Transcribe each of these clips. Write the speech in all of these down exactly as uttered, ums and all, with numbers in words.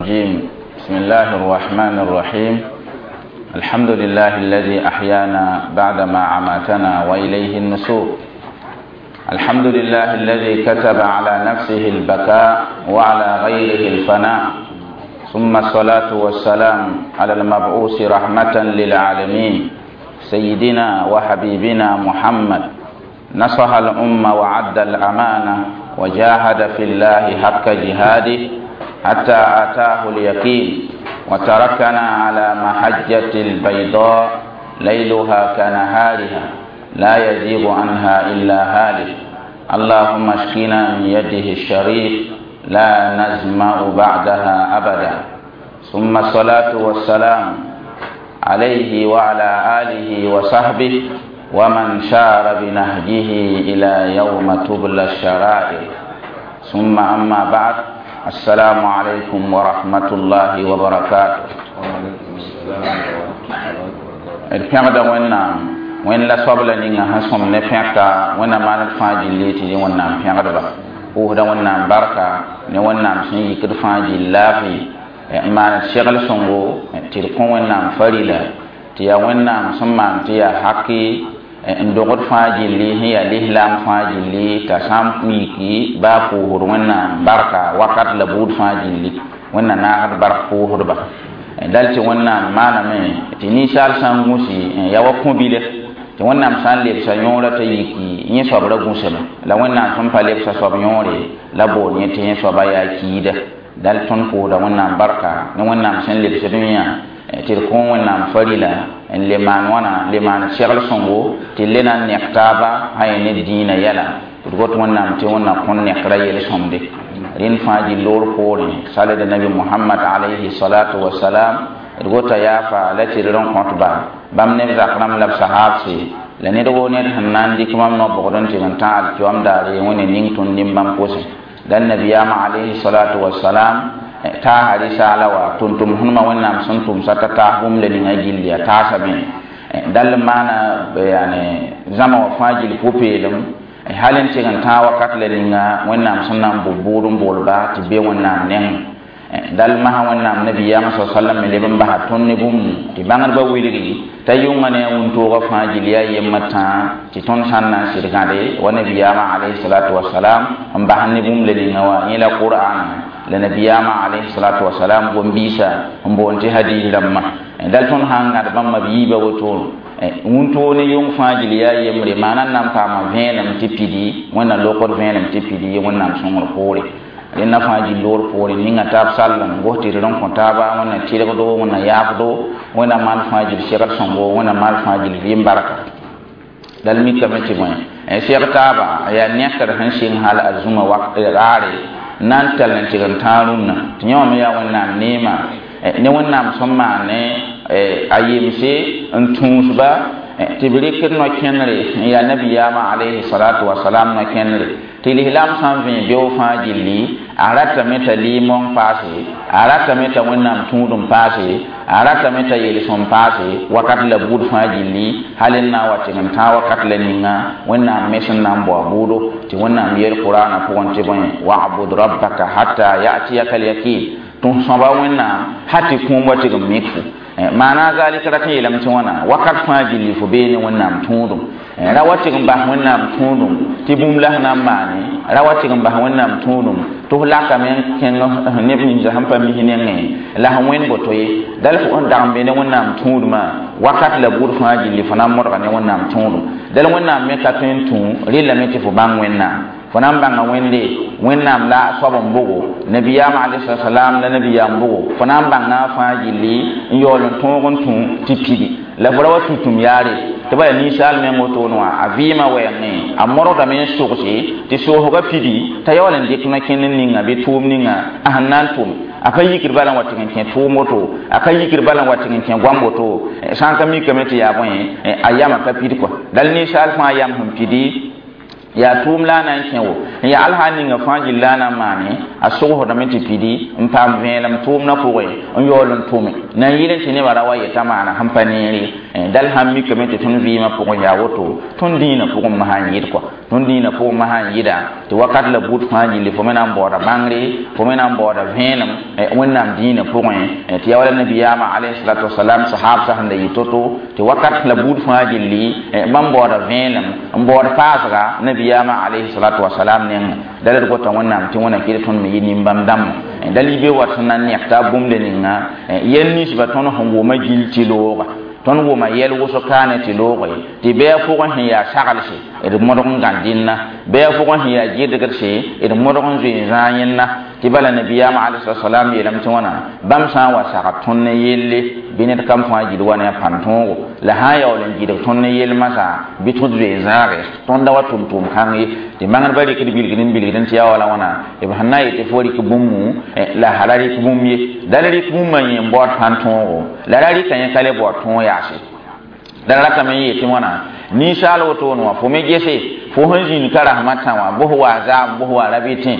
الرجيم بسم الله الرحمن الرحيم الحمد لله الذي أحيانا بعدما عماتنا وإليه النشور الحمد لله الذي كتب على نفسه البكاء وعلى غيره الفناء ثم الصلاة والسلام على المبعوث رحمة للعالمين سيدنا وحبيبنا محمد نصح الأمة وعد الأمانة وجاهد في الله حق جهاده حتى آتاه اليقين وتركنا على محجة البيضاء ليلها كنهارها لا يزيغ عنها إلا هالك اللهم اشقنا من يده الشريف لا نزمع بعدها أبدا ثم الصلاة والسلام عليه وعلى آله وصحبه ومن شار بنهجه إلى يوم تبلى الشرائر ثم أما بعد السلام عليكم ورحمة الله وبركاته d pẽgda wẽnnaam wẽnd la soabla ninga sẽn sõm ne pẽka wẽnnaam maan d fãa gilli tɩ dẽ wẽnnaam pẽgdba pʋʋsda wẽnnaam barka ne wẽnnaam sẽn yikd fãa gill laafɩ n maan d segl sõngo tɩ d kõ wẽnnaam farila tɩ yaa wẽnnaam sẽn maan tɩ yaa haki n dogd fãa gilli sẽn yaa lislaam fãa gilli t'a sã n yiki baa pʋʋsd wẽnnaam barka wakat la buud fãa gilli wẽnna naagd bark pʋʋsdba dal tɩ wẽnnaam maaname tɩ ninsaal sã n gũsi ya wa kõ-bile tɩ wẽnnaam sã n lebsa yõorã t'a yiki yẽ soab ra gũsame la wẽnnaam sẽn pa lebsa soab yõore la bool yẽ tɩ yẽ soaba yaa kiida dal tõnd pʋʋsda wẽnnaam barka ne wẽnnaam sẽn lebsd yã tɩ d kõ wẽnnaam farila n le maan wãna le maan segl sõngo tɩ le na n nek taaba sã yẽ ne dĩinã yɛla d got wẽnnaam tɩ wẽnna kõn nekra yel-sõmde rẽnd fãa gill-loor poorẽ salda nabi mohamad alayhi salatu wasalam d gota yaafa la tɩ d rẽn kõtba bãmb neb zak rãmb la b sahaabse la ned woo ned sẽn na n dɩk mam no-bogd n tɩg n tã alkiyoam daare wẽne ning tõnd nin-bãmb pʋsẽ la nabiyaamã alayhi salatu wasalam taasa risaala wa tʋm-tʋm sẽnma wẽnnaam sẽn tʋmsa t'a taas bũmb la ninga gilli a taasame dall n maana yani zãma wã fãa gill pʋ-peelem hal n tɩg n tãag wakat la ninga wẽnnaam sẽn na n bʋ bʋʋd n boolba tɩ be wẽnnaam nengẽ dall masã wẽnnaam nabiyaamã sa sallam me leb n basa tõnd ne bũmb tɩ bãngdbã wilgi t'a yʋnga ne a wũntoogã fãa gill yaa yembr tãa tɩ tõnd sã n na n sɩd gãde wa nabiyaamã alayhi salatu wasalam n bas ne bũmb la ninga wã yẽ la qur'ana la nabiyaamã alayhi salatu wasalam gom-biisã n boond tɩ hadis rãmbã dal tõnd sã n gãd bãmba b yiiba woto wũntoog ne yʋng fãa gill yaa yembre maana n na n paama vẽenem tɩ pidi wẽnna lokd vẽenem tɩ pidi wẽnnaam sõngr poore rẽnda fãa gill-loor poore ninga taab sall n gos tɩ d rẽn kõ taaba wẽnna tɩrgdo wẽnna yaafdo wẽnna maan fãa gill segl sõngo wẽnna maal fãa gill vɩɩm barka dal mikame tɩ bõe seg taaba yaa nekr sẽn sɩng hal a zũma raare na n tall n tɩg n tãag rũnnã tɩ yẽ wã me yaa wẽnnaam neema ne wẽnnaam sẽn maan ne a yemse n tũusba tɩ b rɩkd no-kẽnere n yaa nabiyaamã alayhi salatu wasalam no-kẽnere tɩ lislaam sã n vẽ beoog fãa gilli a ratame t'a lɩɩmong paase a ratame t'a wẽnnaam tũudum paase a ratame t'a yel-sõm paase wakat la buud fãa gilli hal n na n wa tɩg n tãag wakat la ninga wẽnnaam me sẽn na n bao buudo tɩ wẽnnaam yel qur'ana pʋgẽ tɩ bõe wa'bud rabbaka hatta ya'tiyaka al-yaqin tɩ sõba wẽnnaam ha tɩ kũum wa tɩg n mik fo maana zalika rat n yeelame tɩ wãna wakat fãa gilli fo bee ne wẽnnaam tũudum ra wa tɩg n bas wẽnnaam tũudum tɩ bũmb la sẽn na n maane ra wa tɩg n bas wẽnnaam tũudum tɩ f lakame n kẽng neb ninsa sẽn pa mis nengẽ la sẽn wẽnd boto ye dal f n dag n be ne wẽnnaam tũudmã wakat la buud fãa gilli fo na n modga ne wẽnnaam tũudum dal wẽnnaam me ka tõe n tũ rɩllame tɩ fo bãng wẽnnaam fo na n bãnga wẽnde wẽnnaam la soab n bogo nabiyaam alayhi salam la nabiyaam bogo fo na n bãnga fãa gilli n yaool n tõog n tũ tɩ pidi la fo ra wa tũ-tũm yaare tɩ ba yaa ninsaal meng wotone wã a vɩɩmã wɛɛngẽ a modgdame n sogse tɩ soosgã pidi t'a yaool n dɩk no-kẽnd ninga bɩ tʋʋm ninga a sẽn na n tʋm a pa yikd bala n wa tɩg n kẽ tʋʋm woto a ka yikd bala n wa tɩg n kẽ goam woto sã n ka mikame tɩ yaa bõe a yamã ka pid kɔa dal ninsaal fãa yam sẽn pidi yaa tʋʋm la a na n kẽ wo n yaa al sã n ninga fãa gill la a na n maane a sogsdame tɩ pidi n paam vẽelem tʋʋmdã pʋgẽ n yaool n tʋme na n yɩl n tɩ nebã ra wa yeta maana sẽn pa neere Dal sãn mikame tɩ tõnd vɩɩmã pʋgẽ yaa woto, tõnd dĩinã pʋgẽ masã n yɩd kɔa, tõnd dĩinã pʋgẽ masã n yɩda tɩ wakat la buud fãa gilli fo me na n baooda bãngre, fo me na n baooda vẽenem Wẽnnaam dĩinã pʋgẽ. Tɩ yaa wala nabiyaamã alayhi salatu wasalam sahabsã sẽn da yɩ to-to, tɩ wakat la buud fãa gilli bãmb baooda vẽenem n baood paasga nabiyaamã alayhi salatu wasalam nengẽ. Dal d gota Wẽnnaam tɩ Wẽnna kɩd tõnd me yɩ nin-bãmb dãmba. Dal y be wat sẽn na n nek t'a bũmb ninga yɛl ninsbã tõnd sẽn wʋma gill tɩ looga, tõnd wʋma yɛl wʋsg kaane tɩ looge, tɩ bɩ a pʋgẽ sẽn yaa saglse d modg n gãd dĩnna, bɩ a pʋgẽ sẽn yaa gɩdgdse d modg n zoe n zãag yẽnna. Tɩ bala nabiyaamã alayhi salam yeelame tɩ wãna bãmb sã n wa sagd tõnd ne yelle bɩ ned kam fãa gil wa ne a pãn-tõogo, la sã n yaool n gɩdg tõnd ne yell masã bɩ tõd zoe zãage, tõnd da wa tʋm tʋʋm kãng ye. Tɩ magnedbã rɩkd bilgd n bilgd tɩ yaa wala wãna b sẽn na n yetɩ fo rɩk bũmbu la hala rɩk bũmb ye. Dal rɩk bũmbã yẽ n baood pãn-tõogo, la ra rɩka yẽ ka le baood tõog yaase. La ratame n yetɩ wãna ninsaal wotone wã fo me gese fo sẽn zĩnd ka rasmã tã wã bos wa zaam, bos wa ra bɩ tẽ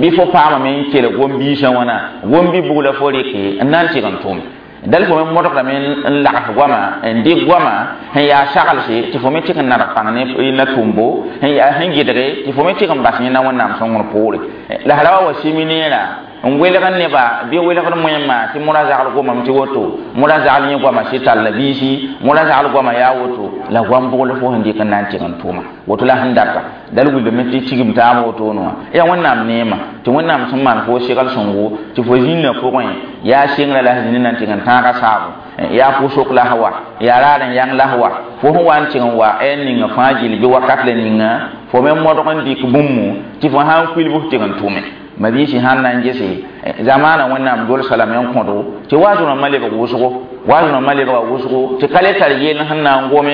bɩ fo paamame n kelg gom-biisã wãna gom-bi-bug la fo rɩke n na n tɩg n tʋme. Dal fo me modgdame n lags goama n dɩk goama sẽn yaa saglse tɩ fo me tɩg n nadg pãng ne na tʋmbo sẽn yaa sẽn gɩdge tɩ fo me tɩg n bas yẽna Wẽnnaam sõngr poore. La sra wa wa simi neera n welg neba bɩ welgd moẽmã tɩ mora zagl gomame tɩ woto, mora zagl yẽ goama sɩ tall biisi, mora zagl goama yaa woto, la goam bʋgl fo sẽn dɩk n na n tɩg n tʋma woto la sẽn data. Dal wilgame tɩ tigim taab wotone wã yaa Wẽnnaam neema tɩ Wẽnnaam sẽn maan fo segl sõngo tɩ fo zĩnnã pʋgẽ yaa sengrã la sẽn zĩnd na n tɩg n tãaga saabo, yaa pʋsok la wa, yaa raad n yãng la wa, fo sẽn wa n tɩg n wa n ninga fãa gill bɩ wakat la ninga fo me modg n dɩk bũmbu tɩ fo sã n kuilb tɩg n tʋme. Mabiisi sãn na n gese zamaana Wẽnnaam dolsa lame n kõdo tɩ waaz rãmbã lebg wʋsgo, waaz rãmbã lebga wʋsgo tɩ ka le tar yell sẽn na n gome.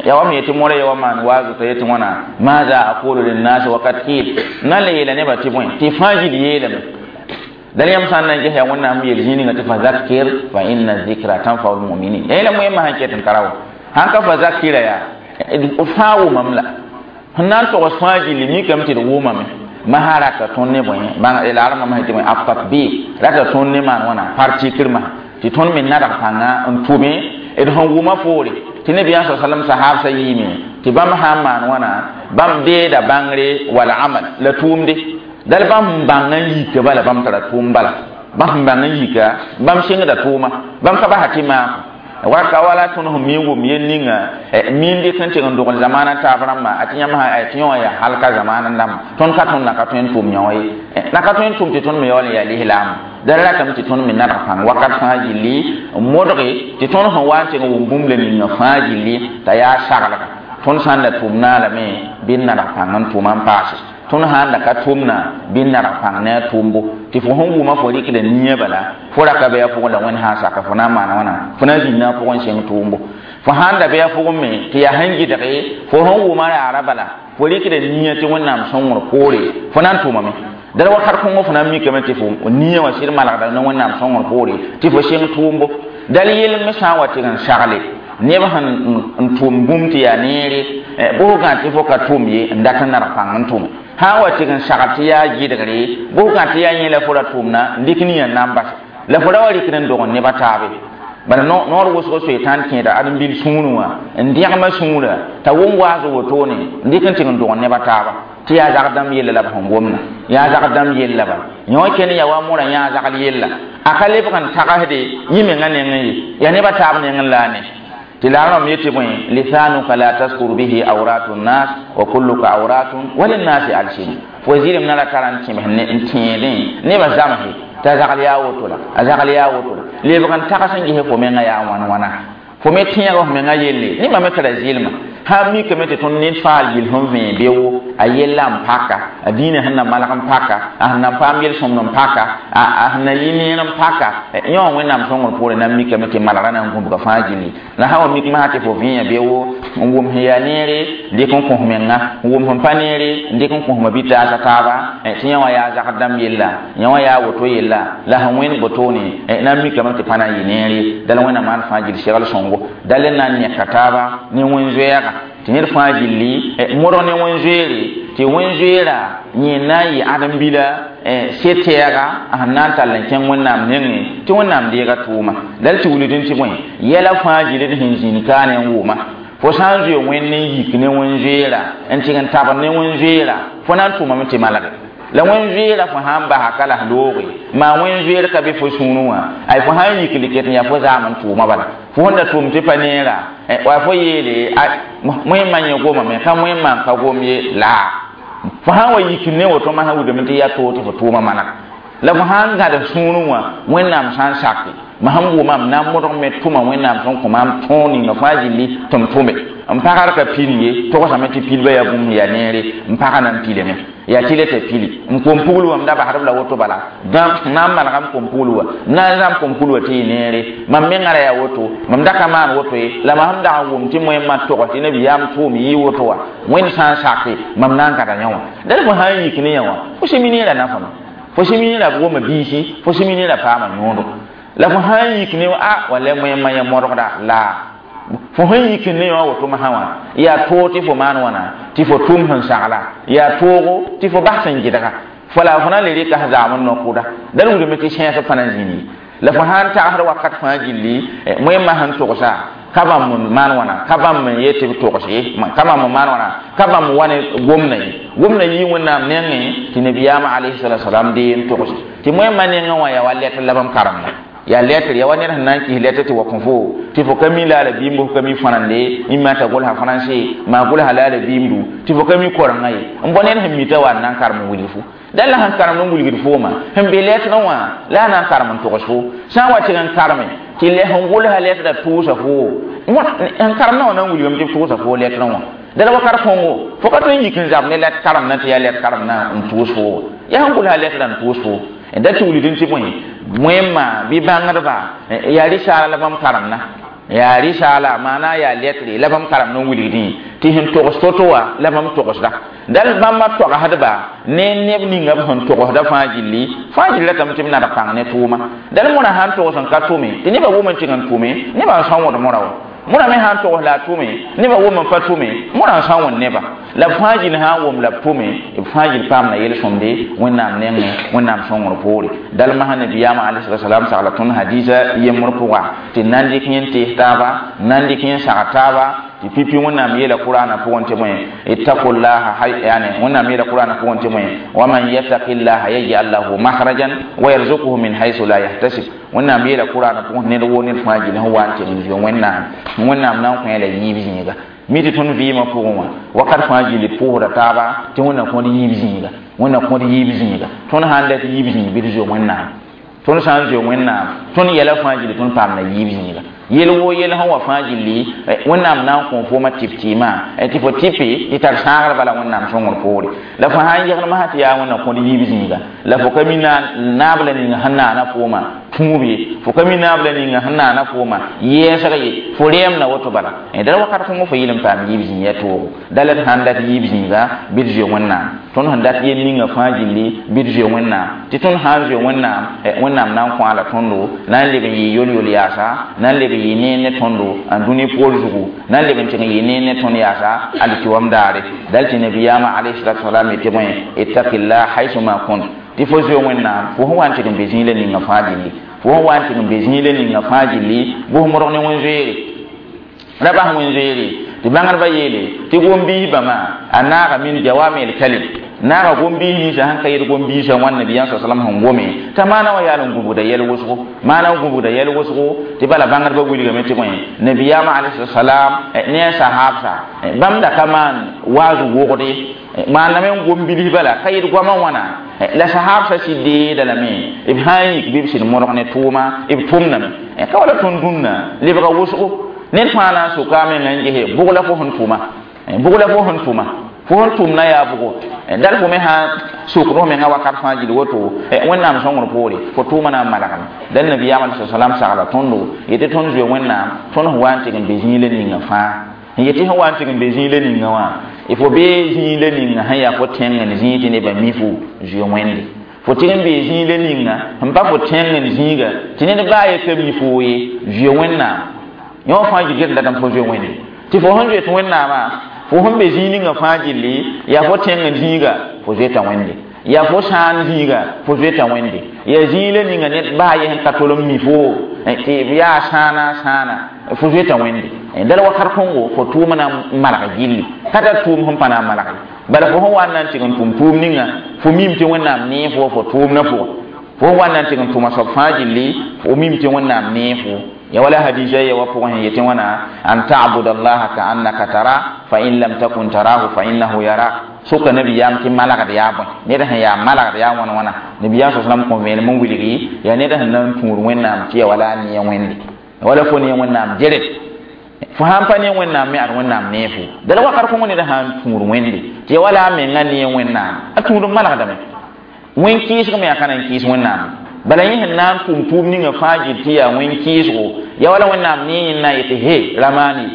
Ya wa me yetɩ mora ya wa maan waazo t'a yetɩ wãna maada aqulu linnasi wakat qil na n le yeela nebã tɩ bõe tɩ fãa gil yeelame. Dal yãmb sã n na n ges yaa Wẽnnaam yel zĩig ninga tɩ fa zakir fa inna zikra tanfau lmuminin. Ya yẽla moẽmã sẽn ket n tara wa sãn ka fa zakira yaa fãa wʋmam la sẽn na n togs fãa gilli mikame tɩ d wʋmame masã rata tõnd ne bõe la rãmbã masã tɩ bõe at-tatbiq rata tõnd ne maan wãna partikr masã tɩ tõnd me nadg pãnga n tʋme d sẽn wʋma poore. Tɩ nabiyaam sa sallam sahabsã yiime tɩ bãmb sã n maan wãna bãmb deeda bãngre wala amal la tʋʋmde. Dal bãmb sẽn bãng n yika bala bãmb tara tʋʋm, bala bãmb sẽn bãng n yika bãmb sɩngda tʋʋma, bãmb ka basa tɩ maako waka wala tõnd sẽn mi n wʋm yel ninga miin dɩk n tɩg n dogl zamaana taab rãmbã a tɩ yãmb tɩ yõ yaa halka zamaana dãmba. Tõnd ka tõnd na ka tõe n tʋm yõ ye, na ka tõe n tʋm tɩ tõnd me yaool n yaa lislaam. Dara ratame tɩ tõnd me nadg pãng wakat fãa gilli n modge tɩ tõnd sẽn wa n tɩg n wʋm bũmb la ninga fãa gilli t'a yaa saglga. Tõnd sã n da tʋm naalame bɩ n nadg pãng n tʋma n paase, tõnd sã n da ka tʋmna bɩ n nadg pãng ne a tʋʋmbo tɩ fo sẽn wʋma fo rɩkda nia bala fo ra ka bɩ a pʋgẽ la Wẽnd sã n saka fo na n maana wãna fo na n zĩnda a pʋgẽ n sẽng tʋʋmbo. Fo sã n da bɩ a pʋgẽ me tɩ yaa sẽn gɩdge fo sẽn wʋma raara bala fo rɩkda nia tɩ Wẽnnaam sõngr poore fo na n tʋmame. Dal wakat kõngo fo na n mikame tɩ fo nia wã sɩd malgda ne Wẽnnaam sõngr poore tɩ fo sẽng tʋʋmbo. Dal yell me sã n wa tɩg n sagle neb sẽn n tʋm bũmb tɩ yaa neere bʋsgã tɩ fo ka tʋm ye n dat n nadg pãng n tʋme. Sã n wa tɩg n sagl tɩ yaa gɩdgre bʋsgã tɩ yaa yẽ la fo ra tʋmna n dɩk nia n na n bas la fo ra wa rɩkd n dog neba taabe. Bala noor wʋsg soetãn kẽeda ãdem-bil sũurẽ wã n dẽgmã sũurã t'a wʋm waas wotone n dɩk n tɩg n dog neba taaba tɩ yaa zagd dãmb yella la b sẽn gomna yaa zagd dãmb yella bala yõ ken ya wa mora yã zagl yella a ka lebg n tagsde yẽ mengã nengẽ ye yaa nebã taab nengẽ la a ne tɩ la rãmb yetɩ bõe lisanuka la taskur bihi awratu nnas wa kulluka awratun wa linnasi alsin. Fo zɩlem na ra tara n tẽms n tẽedẽ nebã zãmse t'a zagl yaa woto la a zagl yaa woto la lebg n tags n ges fo menga yaa wãn wãna fo me tẽeg f menga yelle nebã me tara zɩlma sã n mikame tɩ tõnd ned faal gill sẽn vẽe beoogo a yella n paka a dĩinã sẽn na malg n paka a sẽn na n paam yel-sõmd n paka a sẽn na yɩ neer n paka yõ wã Wẽnnaam sõngr poore na n mikame tɩ malgrã na n gũbga fãa gilli. La sã wa mik masã tɩ fo vẽe beoogo n wʋm sẽn yaa neere dɩk n kõs menga n wʋm sẽn pa neere n dɩk n kõsma bitaasã taaba tɩ yõ wã yaa zagd dãmb yella yõ wã yaa woto yella la sẽn wẽnd botone na n mikame tɩ pa na n yɩ neere. Dal Wẽnnaam maan fãa gill segl sõngo dal n na n neka taaba ne wẽn-zoɛɛga tɩ ned fãa gilli modg ne wẽn-zoeere. tɩ wẽn-zoeera yẽ na n yɩ ãdem-bila se-tɛɛga a sẽn na n tall n kẽng wẽnnaam nengẽ tɩ wẽnnaam deega tʋʋma la d tɩ wilgd tɩ bõe yɛla fãa giled sẽn zĩnd kaane n wʋma fo sã n zoe wẽnd n yik ne wẽn-zoeera n tɩg n tabd ne wẽn-zoeera fo na n tʋmame tɩ malge la wẽn-zoeera fo sã n basa ka la looge maa wẽn-zoeer ka be fo sũurẽ wã ay fo sã n yik ket n yaa fo zaam n tʋʋma bala fo sẽn da tʋm tɩ pa neera wa fo yeele wẽmma yẽ gomame ka wẽmma n ka gom ye la fo sã n wa yik ne woto masã wilgame tɩ yaa toog tɩ fo tʋʋma maneg la fo sã n gãd sũurẽ wã wẽnnaam sã n sake ma sẽn wʋmam na n modg me tʋma wẽnnaam sẽn kõ maam tõog ninga fãa gilli tɩ m tʋme n pagr ka pil ye togsame tɩ pilba yaa bũmb yaa neere n pagã na n pilame yaa tɩ le t'a pili n kom pugl wã m da basdb la woto bala dã na n manega m kom pugl wã na n zãm kom pugl wã tɩ yɩ neere mam mengã ra yaa woto mam da ka maan woto ye la mam sẽn dag n wʋm tɩ moẽmã togs tɩ nabiyaam tʋʋm yɩ woto wã wẽnd sã n sake mam na n gãda yã wã dal fo sã n yik ne yã wã fo sẽn mi neerã nafame fo sẽn mi neerã goma biisi fo sẽn mi neerã paama yõodo la fo sã n yik ne a wala moẽmã yã modgda la fo sẽn yik ne wã woto masã wã yaa toog tɩ fo maan wãna tɩ fo tʋm sẽn sagla yaa toogo tɩ fo bas sẽn gɩdga fo la fo na le rɩka sẽn zaam n no-kʋda dal wilgame tɩ sẽes fãa na zĩnd ye la fo sã n tagsd wakat fãa gilli wẽmma sẽn togsa ka bãmb n maan wãna ka bãmb n yet tɩ b togs ye ka bãmb n maan wãna ka bãmb wa ne gomdã ye gomdã yɩ wẽnnaam nengẽ tɩ nabiyaamã alayhi salatu wasalam dee n togs tɩ wẽmma nengẽ wã yaa wa letr la bãmb karemda yaa letr yaa wa ned sẽn na n kis letr tɩ wa kõ fo tɩ fo ka mi la a la biimb fo ka mi fãrende ĩmma t'a gʋlsa fãrãnse maa gʋlsa la a la biimdu tɩ fo ka mi korengã ye n bõ ned sẽn mita wa n na n karem n wilg fo dal la sẽn karemd n wilgd fooma sẽn be letrã wã la a na n karem n togs fo sã n wa tɩg n kareme tɩ sẽn gʋlsa letrã tʋʋsa fo n karemdã wã na n wilgame tɩ b tʋʋsa fo letrã wã dala wakat kõngo fo ka tõe n yik n zab ne let karemdã tɩ yaa let karemdã n tʋʋs fo yaa sẽn gʋlsa letrã n tʋʋs fo da tɩ wilgd tɩ bõe wẽmma bɩ bãngdba yaa rɩsaala la bãmb karemdã yaa rɩsaala maana yaa letre la bãmb karemd n wilgdẽ tɩ sẽn togs to-to wã la bãmb togsda dal bãmba togsdba ne neb ninga b sẽn togsda fãa gilli fãa gilli ratame tɩ b nadg pãng ne tʋʋma dal mõra sã n togs n ka tʋme tɩ nebã wʋm n tɩg n tʋme nebã n sã n wõd mõra wã mõra me sã n togs la a tʋme nebã wʋm n pa tʋme mõra n sã n wõnd neba la b fãa gill sã n wʋm la b tʋme b fãa gill paamda yel-sõmde wẽnnaam nengẽ wẽnnaam sõngr poore dal masã nabiyaamã alayhi salam sagla tõnd hadisa yembr pʋga tɩ na n dɩk yẽ n tees taaba na n dɩk yẽ n sag taaba tɩ pipi wẽnnaam yeela qur'ana pʋgẽ tɩ bõe ittaqullaha yani wẽnnaam yeela qur'ana pʋgẽ tɩ bõe waman yattaqillaha yaj'al lahu makhrajan wa yarzuquhu min haythu la yahtasib wẽnnaam yeela qur'ana pʋgẽ ned woo ned fãa gill sẽn wa n tɩg n zoe wẽnnaam wẽnnaam na n kõ la yiib zĩiga mi tɩ tõnd vɩɩmã pʋgẽ wã wakat fãa gilli pʋʋsda taaba tɩ wẽnnaam kõd yiib zĩiga wẽnnaam kõd yiib zĩiga tõnd sã n dat yiib zĩig bɩ d zoe wẽnnaam tõnd sã n zoe wẽnnaam tõnd yɛla fãa gilli tõnd paamda yiib zĩiga yel woo yel sẽn wa fãa gilli wẽnnaam na n kõ foomã tɩp tɩɩmã tɩ fo tɩpe tɩ tar sãagr bala wẽnnaam sõngr poore la fo sã n yegl masã tɩ yaa wẽnnaam kõd yiib zĩiga la fo ka mi naab la ninga sẽn naana foomã tũub ye fo ka mi naab la ninga sẽn naana foomã yɛɛsg ye fo rɛɛmda woto bala dala wakat kõngo fo yɩl n paam yiib zĩig ya toogo dala d sãn dat yiib zĩiga bɩ d zoe wẽnnaam tõnd sẽn dat yel ninga fãa gilli bɩ d zoe wẽnnaam tɩ tõnd sã n zoe wẽnnaam wẽnnaam na n kõ a la tõndo na n leb n yɩ yol-yol yaasa na n leb n yɩ neer ne tõndo n dũni poor zugu na n leb n tɩg n yɩ neer ne tõnd yaasa alkiwam daare dal tɩ nabiyaamã alayhi salatu wasalam yetɩ bõe ittaqillah haysuma kunt tɩ fo zoe wẽnnaam fo sẽn wa n tɩg n be zĩig la ninga fãa gilli fo sẽn wa n tɩg n be zĩig la ninga fãa gilli bʋs modg ne wẽn-zoeere ra bas wẽn-zoeere tɩ bãngdbã yeele tɩ gom-biis bãmã a naaga min jawami el kalim naaga gom-biis ninsã sẽn ka yet gom-biisã wãn nabiyaam sa salam sẽn gome t'a maana wã yaa n gũbgda yɛl wʋsgo maana n gũbgda yɛl wʋsgo tɩ bala bãngdbã wilgame tɩ bõe nabiyaamã alayhi salam ne a sahabsa bãmb da ka maan waaz wogde maaname n gom bilis bala ka yet goamã wãna la sahabsã sɩd deeda lame b sã n yik bɩ b sɩd modg ne tʋʋma b tʋmdame ka wala tõnd dũnna lebga wʋsgo ned fãa na n soka a menga n gese bʋg la fo sẽn tʋma bʋg la fo sẽn tʋma fo sẽn tʋmna yaa bʋgo dal fo me sã sokd fo menga wakat fãa gill woto wẽnnaam sõngr poore fo tʋʋma na n malgame dal nabiyaam alai salam sagla tõndo yetɩ tõnd zoe wẽnnaam tõnd sẽn wa n tɩg n be zĩig la ninga fãa n yetɩ sẽn wa n tɩg n be zĩig la ninga wã fo bee zĩig la ninga sẽn yaa fo tẽng n zĩig tɩ nebã mi fo zoe wẽnde fo tɩg n bee zĩig la ninga sẽn pa fo tẽng n zĩiga tɩ ned baa ye ka mi fo ye zoe wẽnnaam yõ fãa gil get datame fo zoe wẽnde tɩ fo sẽn zoet wẽnnaamã Fo sẽn be zĩig ninga fãa gilli yaa fo tẽng zĩiga fo zoeta Wẽnde, yaa fo sãan zĩiga fo zoeta Wẽnde, yaa zĩig la ninga ned baa ye sẽn ka tol n mi fo tɩ yaa sãana sãana fo zoeta Wẽnde. Dal wakat kõngo fo tʋʋmã na n malg gilli ka tar tʋʋm sẽn pa na n malg ye. Bala fo sẽn wa n na n tɩg n tʋm tʋʋm ninga fo mim tɩ Wẽnnaam nee fo fo tʋʋmdã pʋgẽ. Fo sẽn wa n na n tɩg n tʋma soab fãa gilli fo mim tɩ Wẽnnaam nee fo. Ya wala hadisa ya wa pʋgẽ sẽn yetẽ wãna an ta'buda allaha ka annaka tara fa in lam takun tarahu fa innahu yarak. Soka nabiyaam tɩ malgd yaa bõe, ned sẽn yaa malgd yaa wãn wãna. Nabiyaam sa salam kõ vẽenem n wilgi yaa ned sẽn na n tũud Wẽnnaam tɩ ya wala a nee Wẽnde, wala fo nee Wẽnnaam geret. Fo sãn pa nee Wẽnnaam me ad Wẽnnaam nee fo. Dala wakat kõngo ned sã n tũud Wẽnde tɩ ya wala a menga nee Wẽnnaam, a tũud n malgdame. Wẽn kɩɩsg me yaa ka na n kɩɩs Wẽnnaam. Bala yẽ sẽn na n tʋm tʋʋm ninga fãa gil tɩ yaa wẽn kɩɩsgo ya wala Wẽnnaam nee yẽnd na n yetɩ he ramaani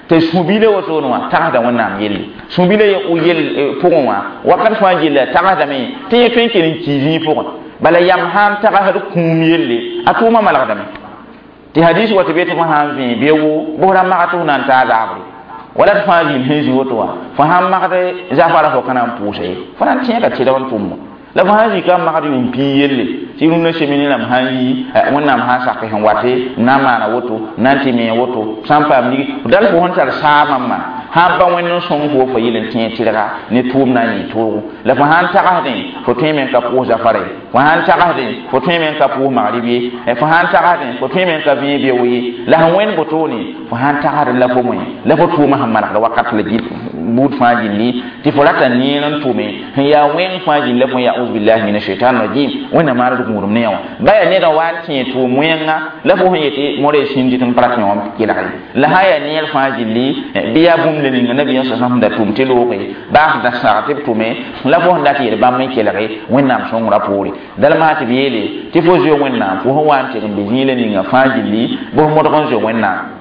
tɩ sũ-bila wotone wã tagsda Wẽnnaam yelle. Sũ-bila yel pʋgẽ wã wakat fãa gilla tagsdame tɩ yẽ tõe n kell n kii zĩig pʋgẽ. Bala yam sã n tagsd kũum yelle a tʋʋmã malgdame. Tɩ hadis wa tɩ be tɩ fo sã n vẽe beoogo bʋsra magd tɩ fo na n taa zaabre wala tɩ fãa zĩnd sẽn zĩ woto wã fo sã n magd zafara fo ka na n pʋʋsa ye, fo na n tẽega tɩrg n tʋmmo. La fo sã n zika n magd yʋʋm pii yelle tɩ rũndã semene rãmb sã n yi Wẽnnaam sã n sak sẽn wate n na n maana woto n na n tɩ me woto sã n paam lig dal fo sẽn tar saamã ma sã n pa Wẽnd n sõng fo fo yel n tẽeg tɩrga ne tʋʋm na n yɩ toogo. La fo sã n tagsdẽ fo tõeme n ka pʋʋs zafara ye, fo sã n tagsdẽ fo tõeme n ka pʋʋs magrib ye, fo sã n tagsdẽ fo tõeme n ka vẽeg beoog ye. La sẽn wẽnd wotone fo sã n tagsd la fo moẽ la fo tʋʋmã sẽn malgd wakat la buud fãa gilli tɩ fo rata neer n tʋme sẽn yaa wẽng fãa gilla fo yaa auzubillahi min ashaitan rajim Wẽnnaam maaned gũudum ne wã. Ba yaa nedã wa n tẽeg tʋʋm wẽnga la fo sẽn yetɩ modã sĩnd tɩ n pa rat yõ kelg ye. La sã yaa neer fãa gilli bɩ yaa bũmb le ninga nabiyaam sa sẽn da tʋm tɩ looge baa sẽn da sag tɩ b tʋme la fo sẽn dat yel bãmb n kelge Wẽnnaam sõngrã poore. Dalma tɩ b yeele tɩ fo zoe Wẽnnaam fo sẽn wa n tɩg n be zĩig la ninga fãa gilli bʋs modg n zoe Wẽnnaam.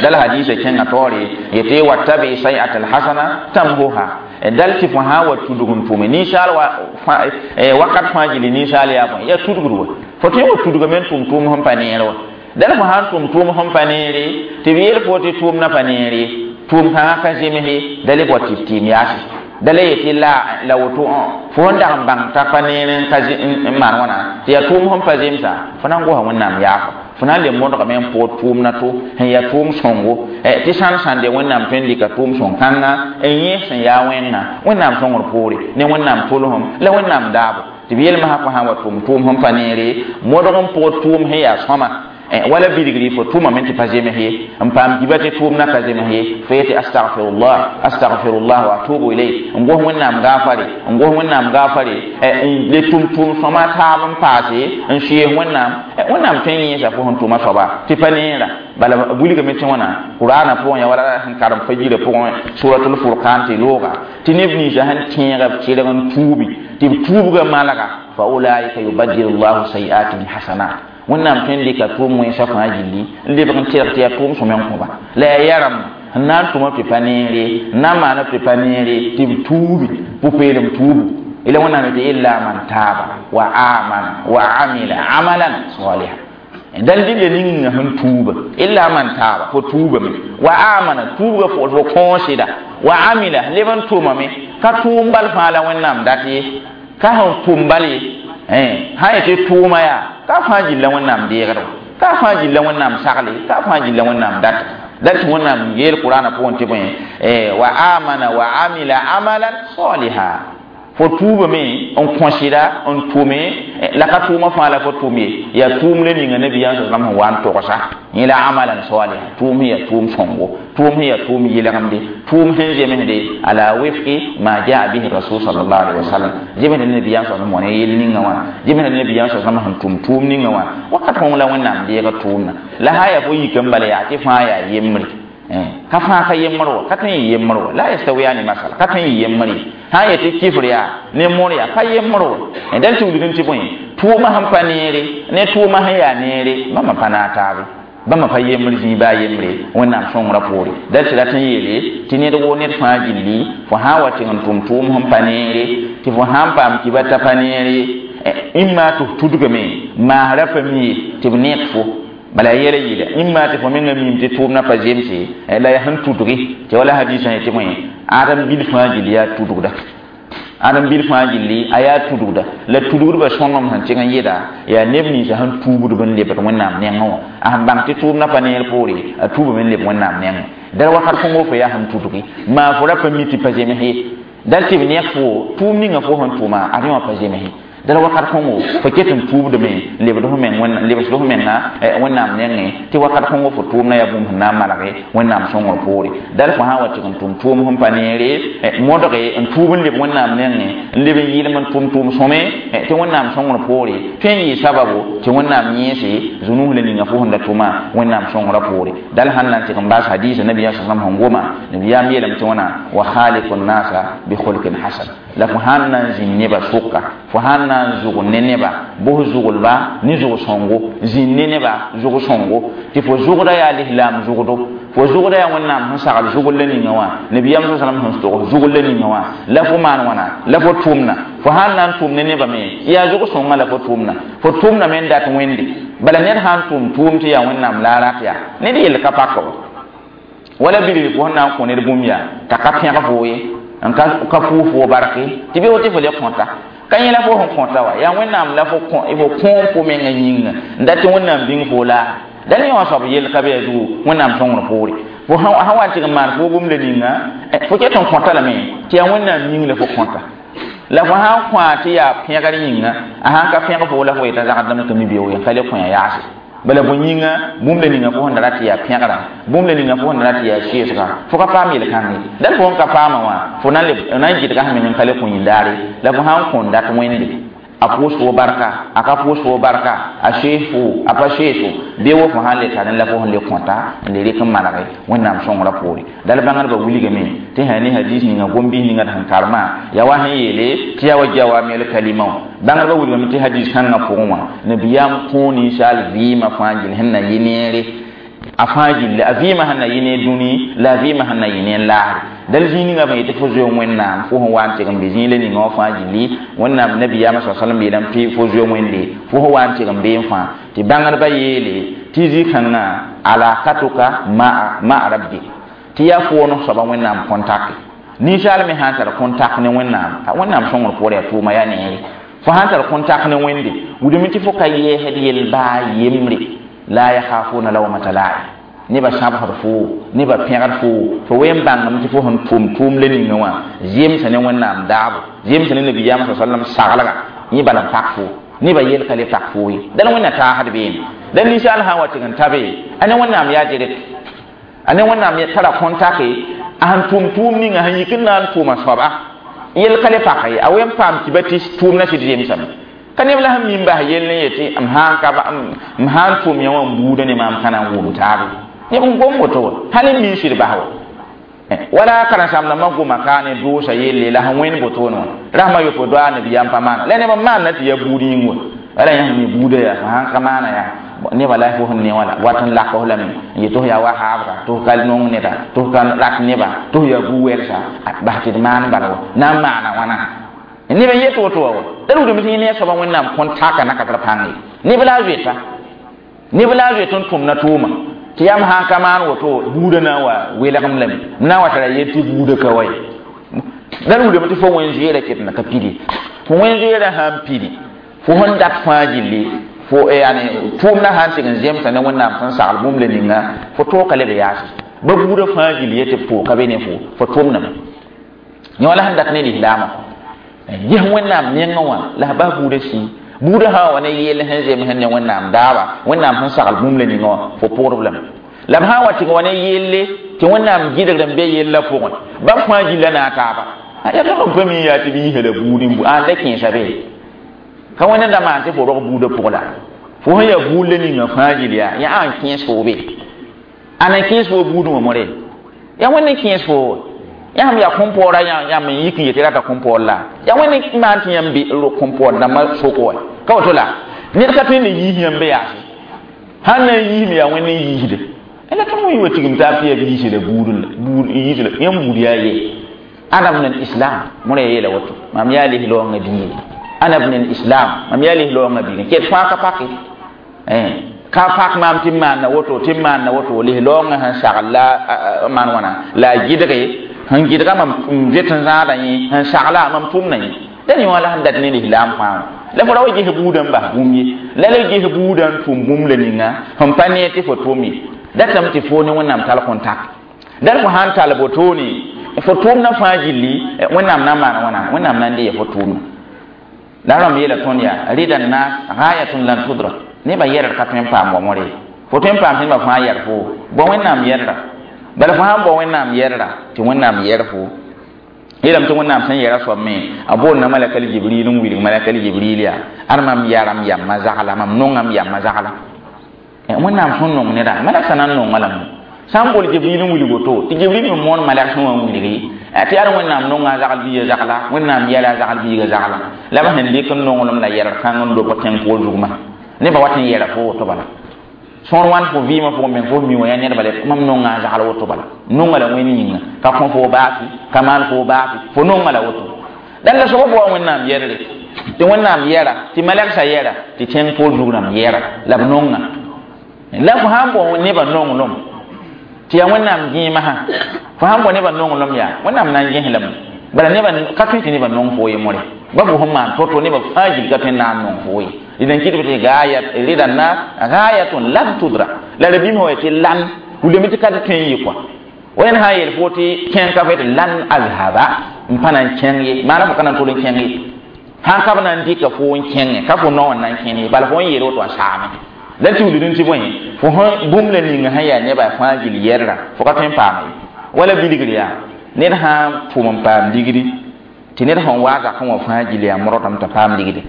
Dal hadisa kẽngã taoore yetɩ wattabi say'at alhasana tamhuha. Dal tɩ fo sã n wa tudg n tʋme ninsaal wakat fãa gilli ninsaal yaa bõe yaa tudgd wa fo tõe n wa tudgame n tʋm tʋʋm sẽn pa neer wa. Dal fo sã n tʋm tʋʋm sẽn pa neere tɩ b yeel fo tɩ tʋʋmdã pa neere tʋʋm kãngã ka zemse da le bao tɩ b tɩɩm yaase da le yetɩ la la woto fo sẽn dag n bãng t'a pa neer n ka n maan wãna tɩ yaa tʋʋm sẽn pa zemsa fo na n gosa Wẽnnaam yaafo fo na n le modgame n pʋgd tʋʋmdã to sẽn yaa tʋʋm sõngo tɩ sãn sãnde Wẽnnaam tõe n dɩka tʋʋm sõng kãnga n yẽ sẽn yaa wẽnga Wẽnnaam sõngr poore ne Wẽnnaam tolsem la Wẽnnaam daabo. Tɩ b yelmsã fo sã n wa tʋm tʋʋm sẽn pa neere modg n pʋgd tʋʋm sẽn yaa sõma wala bilgri fo tʋmame tɩ pa zems ye n paam kiba tɩ tʋʋmdã ka zems ye fo yetɩ astagfirullah astagfirullah wa atubu ilayh n gos Wẽnnaam gaafare n gos Wẽnnaam gaafare n le tʋm tʋʋm sõma taab n paase n sʋɩs Wẽnnaam. Wẽnnaam tõe n yẽesa fo sẽn tʋma soaba tɩ pa neera. Bala wilgame tɩ wãna Qur'ana pʋgẽ ya wala sẽn karem fajirã pʋgẽ suratul furqan tɩ looga tɩ neb ninsã sẽn tẽega b tɩrg n tuubi tɩ b tuubgã malga fa ulaika yubaddilu llahu sayiatihim hasanat. Wẽnnaam tõe n dɩka tʋʋm wẽnsã fãa gilli n lebg n tɩrg tɩ yaa tʋʋm sõm n kõba la yaa yɛrem n na n tʋma tɩ pa neere n na n maana tɩ pa neere tɩ b tuubi pʋ-peelem tuubu ila Wẽnnaam yetɩ illa man taaba wa amana wa amila amalan salihan. Dal dɩ le ninga sẽn tuuba illa man taaba fo tuubame wa amana tuubga fo fo kõoseda wa amila leb n tʋmame ka tʋʋm bal fãa la Wẽnnaam dat ye ka sẽn tʋm bal ye sã yetɩ tʋʋma yaa ka fãa gilla Wẽnnaam deegd wa ka fãa gilla Wẽnnaam sagle ka fãa gilla Wẽnnaam dat dal tɩ Wẽnnaam yeel Qur'ana pʋgẽ tɩ bõe wa amana wa amila amalan saliha fo tuubame n kõsɩda n tʋme la ka tʋʋmã fãa la fo tʋm ye yaa tʋʋm le ninga nabiyaam sa sãm sẽn wa n togsa yẽ la amalan saliha tʋʋm sẽn yaa tʋʋm sõngo tʋʋm sẽn yaa tʋʋm yɩlgemde tʋʋm sẽn zemsde ala wifqi ma jaa bihi rasul sallallahu alaihi wasallam zemsd nabiyaam sa sãm wã ne yel ninga wã zemsd nabiyaam sa sãm sẽn tʋm tʋʋm ninga wã wakat kõng la Wẽnnaam deega tʋʋmna la sã yaa fo yik n bala yaa tɩ fãa yaa yembre ka fãa ka yembr wa ka tõe n yembr wa la yastawiyani masala ka tõe n yembr ye sã n yetɩ kifr yaa ne mor yaa pa yembr wa dal tɩ wilg tɩ bõe tʋʋmã sẽn pa neere ne tʋʋmã sẽn yaa neere bãmba pa naag taabe bãmba pa yembr zĩig baa yembre Wẽnnaam sõngrã poore. Dal tɩ rat n yeele tɩ ned woo ned fãa gilli fo sã n wa tɩg n tʋm tʋʋm sẽn pa neere tɩ fo sã n paam kiba t'a pa neere imma tɩ f tudgame maasrã pa mi ye tɩ b ned fo bala yɛla yɩla imma tɩ fo menga mim tɩ tʋʋmdã pa zemse la yaa sẽn tudgi tɩ wala hadisã yetɩ bõe Adam bil fãa gill yaa tudgda Adam bil fãa gilli a yaa tudgda la tudgdbã sõngem sẽn tɩg n yɩda yaa neb ninsã sẽn tuubdb n lebd Wẽnnaam nengẽ wã a sẽn bãng tɩ tʋʋmdã pa neer poore a tuubame n leb Wẽnnaam nengẽ dal wakat kõngo fo yaa sẽn tudgi maa fo ra pa mi tɩ pa zems ye dal tɩ b nek fo tʋʋm ninga fo sẽn tʋʋma ad yẽ wã pa zems ye dal wakat kõngo fo ket n tuubdame n lebd f meng lebsd f menga Wẽnnaam nengẽ tɩ wakat kõngo fo tʋʋmna yaa bũmb sẽn na n malge Wẽnnaam sõngr poore dal fo sã n wa tɩg n tʋm tʋʋm sẽn pa neere modge n tuub n leb Wẽnnaam nengẽ n leb n yɩlem n tʋm tʋʋm sõme tɩ Wẽnnaam sõngr poore tõe n yɩ sababu tɩ Wẽnnaam yẽese zũnus la ninga fo sẽn da tʋma Wẽnnaam sõngrã poore dal sãn na n tɩg n baas hadiisa nabiyaam sa sẽn goma nabiyaam yeelame tɩ wãna wa khaliqu nnasa bi khulqin hasan la fo sãn na n zĩnd nebã sʋka fo sãn na n zʋg ne neba bos zʋglba ne zʋg sõngo zĩnd ne neba zʋg sõngo tɩ fo zʋgda yaa lislaam zʋgdo fo zʋgda yaa Wẽnnaam sẽn sagl zʋgl la ninga wã nabiyaam sa salam sẽn tog zʋgl la ninga wã la fo maan wãna la fo tʋʋmna fo sãn na n tʋʋm ne nebã me yaa zʋg sõnga la fo tʋʋmna fo tʋʋmna me n dat wẽnde bala ned sãn tʋʋm tʋʋm tɩ yaa Wẽnnaam la a rat yaa ned yell ka pak wala bilg fo sẽn na n kõ ned bũmb yaa t'a ka pẽg foo ye n ka ka pʋʋs fo barke tɩ be woto fo le kõta ka yẽ la fo sẽn kõta wa yaa Wẽnnaam la fo fo kõom fo menga yĩnga n dat tɩ Wẽnnaam bĩng fo laa dal yẽ wã soab yell ka be a zugu Wẽnnaam sõngr poore fo sã wa n tɩg n maan fo bũmb la ninga fo ket n kõta lame tɩ yaa Wẽnnaam yĩng la fo kõta la fo sã n kõa tɩ yaa pẽgr yĩnga a sãn ka pẽg fo la fo yeta zagdame tɩ mi beoog n ka le kõ ya yaase bala bõe yĩnga bũmb la ninga fo sẽn da rat tɩ yaa pẽgra bũmb la ninga fo sẽn da rat tɩ yaa sɩɩsga fo ka paam yel-kãnge dal fo sẽn ka paamã wã fo na n gɩdga sẽn meng n ka le kõ yĩndaare la fo sã n kõn dat wẽnde a pʋʋs fo barka a ka pʋʋs fo barka a sees fo a pa sees fo bee wo fo sãn le tar la fo sẽn le kõta n le rɩk n malge Wẽnnaam sõngrã poore dal bãngdbã wilgame tɩ sã ne hadis ninga gom-bis ninga d sẽn karemã yaa wa sẽn yeele tɩ yaa wa jawamel kalima wã bãngdbã wilgame tɩ hadis kãngã pʋgẽ wã nabiyaam kõ ninsaal vɩɩmã fãa gill sẽn na yɩ neere a fãa gilli a vɩɩmã sẽn na yɩ ne dũni la a vɩɩmã sẽn na yɩ ne laasre dal zĩig ninga b yetɩ fo zoe Wẽnnaam fo sẽn wa n tɩg n be zĩig la ninga wã fãa gilli Wẽnnaam nabiyaamã sa sallam yeelame tɩ fo zoe Wẽnde fo sẽn wa n tɩg n bee n fãa tɩ bãngdbã yeele tɩ zĩ-kãngã alakatuka ma'a rabbi tɩ yaa foon soaba Wẽnnaam contact ninsaal me sã n tar contact ne Wẽnnaam Wẽnnaam sõngr poorẽ yaa tʋʋma yaa neere fo sãn tar contact ne Wẽnde wilame tɩ fo ka yɛɛsd yel baa yembre la yakhafuna lawmata la'im neba sãbsd fo neba pẽgd fo fo wen bãngame tɩ fo sẽn tʋm tʋʋm la ninga wã zemsa ne Wẽnnaam daabo zemsa ne nabiyaamã sa sallam saglga yẽ bala n pak fo neba yel ka le pak fo ye dal Wẽnna taasd beene dal ninsaal sã n wa tɩg n ta be a ne Wẽnnaam yaa direct a ne Wẽnnaam tara contact a sẽn tʋm tʋʋm ninga sẽn yik n na n tʋʋma soaba yel ka le pak ye a wen paam tɩ ba tɩ tʋʋmna sɩd zemsame ka neb la sẽn mi n bas yell n yetɩ m sãn ka m sãn tʋm yã wã n buuda ne maam ka na n wʋm taabe neb n gom woto wa hal n mi n sɩd bas wa wala karen-saamdãmbã goma ka ne doosa yelle la sẽn wẽnd botoone wã rasmã yopo doa nabiyaam pa maana la neb n maanna tɩ yaa buud yĩng wa wala yã sẽn mi buuda yaa fo sãn ka maana yaa nebã la fo sẽn ne wã la wat n lak f lame n yet tɩ f yaa wa haabga tɩ f ka nong neda tɩ f ka rat neba tɩ f yaa bu-wɛlsa bas tɩ d maan bala wa na n maana wãna neb n yet woto wa wa da rugdame tɩ yẽ ne a soaba Wẽnnaam kõn taka na ka tara pãng ye neb la a zoeta neb la a zoet n tʋmna tʋʋma tɩ yam sãn ka maan woto buudã na n wa welgem lame m na n wa tara yel tɩ buudã ka wa ye da rugdame tɩ fo wẽn-zoeerã ket na ka pidi fo wẽn-zoeerã sãn pidi fo sẽn dat fãa gilli fo yani tʋʋmdã sãn tɩg n zemsa ne Wẽnnaam sẽn sagl bũmb la ninga fo tooka leb yaase ba buudã fãa gill ye tɩ pʋʋka be ne fo fo tʋmdame yẽ wã la sẽn dat ne lislaamã ges Wẽnnaam nengẽ wã la s bas buudã sii buudã sã n wa ne yeel sẽn zems ne Wẽnnaam daaba Wẽnnaam sẽn sagl bũmb la ninga wã fo pʋgdb lame la b sã n wa tɩg wa ne yelle tɩ Wẽnnaam gɩdgd n be yella pʋgẽ bãmb fãa gilla na a taaba yaa tõnd n pa mi yaa tɩ b yiisa la buud n bu ãn la kẽesa be ka wẽnd da maan tɩ fo rog buudã pʋg la fo sẽn yaa buud la ninga fãa gill yaa yaa ãn kẽes fo be ãn n kẽes fo buudẽ wã more yaa wẽnd n kẽes fo yã sẽm yaa kõn-poorã yãmb n yik n yetɩ rata kõn-poor la yaa wẽnd n maan tɩ yãmb be kõn-poor dãmbã soko wa ka woto la ned ka tõe n le yiis yãmb be yaase sãn na n yiisme yaa wẽnd n yiisde la tõnd wã wa tigim taab tɩ yaa b yiise la buud buud yiis la yãmb buud yaa ye ana bn al-islam mõra yeela woto mam yaa lis-loongã biige ana bn al-islam mam yaa lis-loongã biige ket fãa ka pake ka pak maam tɩ m maanna woto tɩ m maanna woto lis-loongã sẽn sagl la maan wãna la a gɩdge Sẽn gɩdga mam n zoet n zãada yẽ sẽn sagla mam tʋmda yẽ da ne wã la sẽn dat ne lislaam fãa la fo ra wa ges buudã n bas bũmb ye la la ges buudã n tʋm bũmb la ninga sẽn pa ne tɩ fo tʋm ye datame tɩ fo ne Wẽnnaam tall contact dal fo sãn tall botone fo tʋʋmdã fãa gilli Wẽnnaam na n maan wãna Wẽnnaam na n dee fo tʋʋmdã la rãmb yeela tõnd yaa rida naas gayatun lan tudrak nebã yɛrd ka tõe n paam wa mõre fo tõe n paam tɩ nebã fãa yɛr fo bao Wẽnnaam yɛrda bala fo sãn bao Wẽnnaam yɛrda tɩ Wẽnnaam yɛr fo yeelame tɩ Wẽnnaam sẽn yɛra soab me a boonda malakal Jibril n wilg malakal Jibril yaa ad mam yaram yamma zagla mam nongam yamma zagla Wẽnnaam sẽn nong neda malaksa na n nonga lame sã n bol Jibril n wilg woto tɩ Jibril me moon malak sẽn wa n wilgi tɩ yaa Wẽnnaam nonga a zagl biiga zagla Wẽnnaam yɛla a zagl biiga zagla la b sẽn dɩk n nonglem la yɛrg kãng n lobg tẽng poor zugmã nebã wat n yɛra fo woto bala sõor wãn fo vɩɩmã pʋgẽ meng fo mi wã yaa nedba le mam nonga a zagl woto bala nonga la Wẽnd yĩnga ka kõ fo baafi ka maan fo baafi fo nonga la woto dãn la soaba wa Wẽnnaam yɛrre tɩ Wẽnnaam yɛra tɩ malɛgsa yɛra tɩ tẽng poor zug rãmb yɛra la b nonga la fo sãn bao nebã nonglem tɩ yaa Wẽnnaam gẽemã fo sãn bao nebã nonglem yaa Wẽnnaam na n gẽs lame bala nebã ka tõe tɩ nebã nong fo ye mõre ba fo sẽn maan to-to nebã fãa gil ka tõe n na n nong fo ye d n kɩtb tɩ gayat rida nas gayatun lan tudrak la ra bĩm wa tɩ lan wilame tɩ ka tɩ tõe n yɩ kɔa wẽnd sã n yeel fo tɩ kẽng ka fo tɩ lan azhaba n pa na n kẽng ye maana fo ka na n tol n kẽng ye sãn ka b na n dɩka fo n kẽngẽ ka fo nao n na n kẽne ye bala fo n yeel woto a saame la tɩ wilg tɩ bõe fo sẽn bũmb la ninga sẽn yaa nebã fãa gil yɛrda fo ka tõe n paama ye wala bilgr yaa ned sã n tʋm n paam ligdi tɩ ned sẽn waa zakẽ wã fãa gil yaa modgdame t'a paam ligdi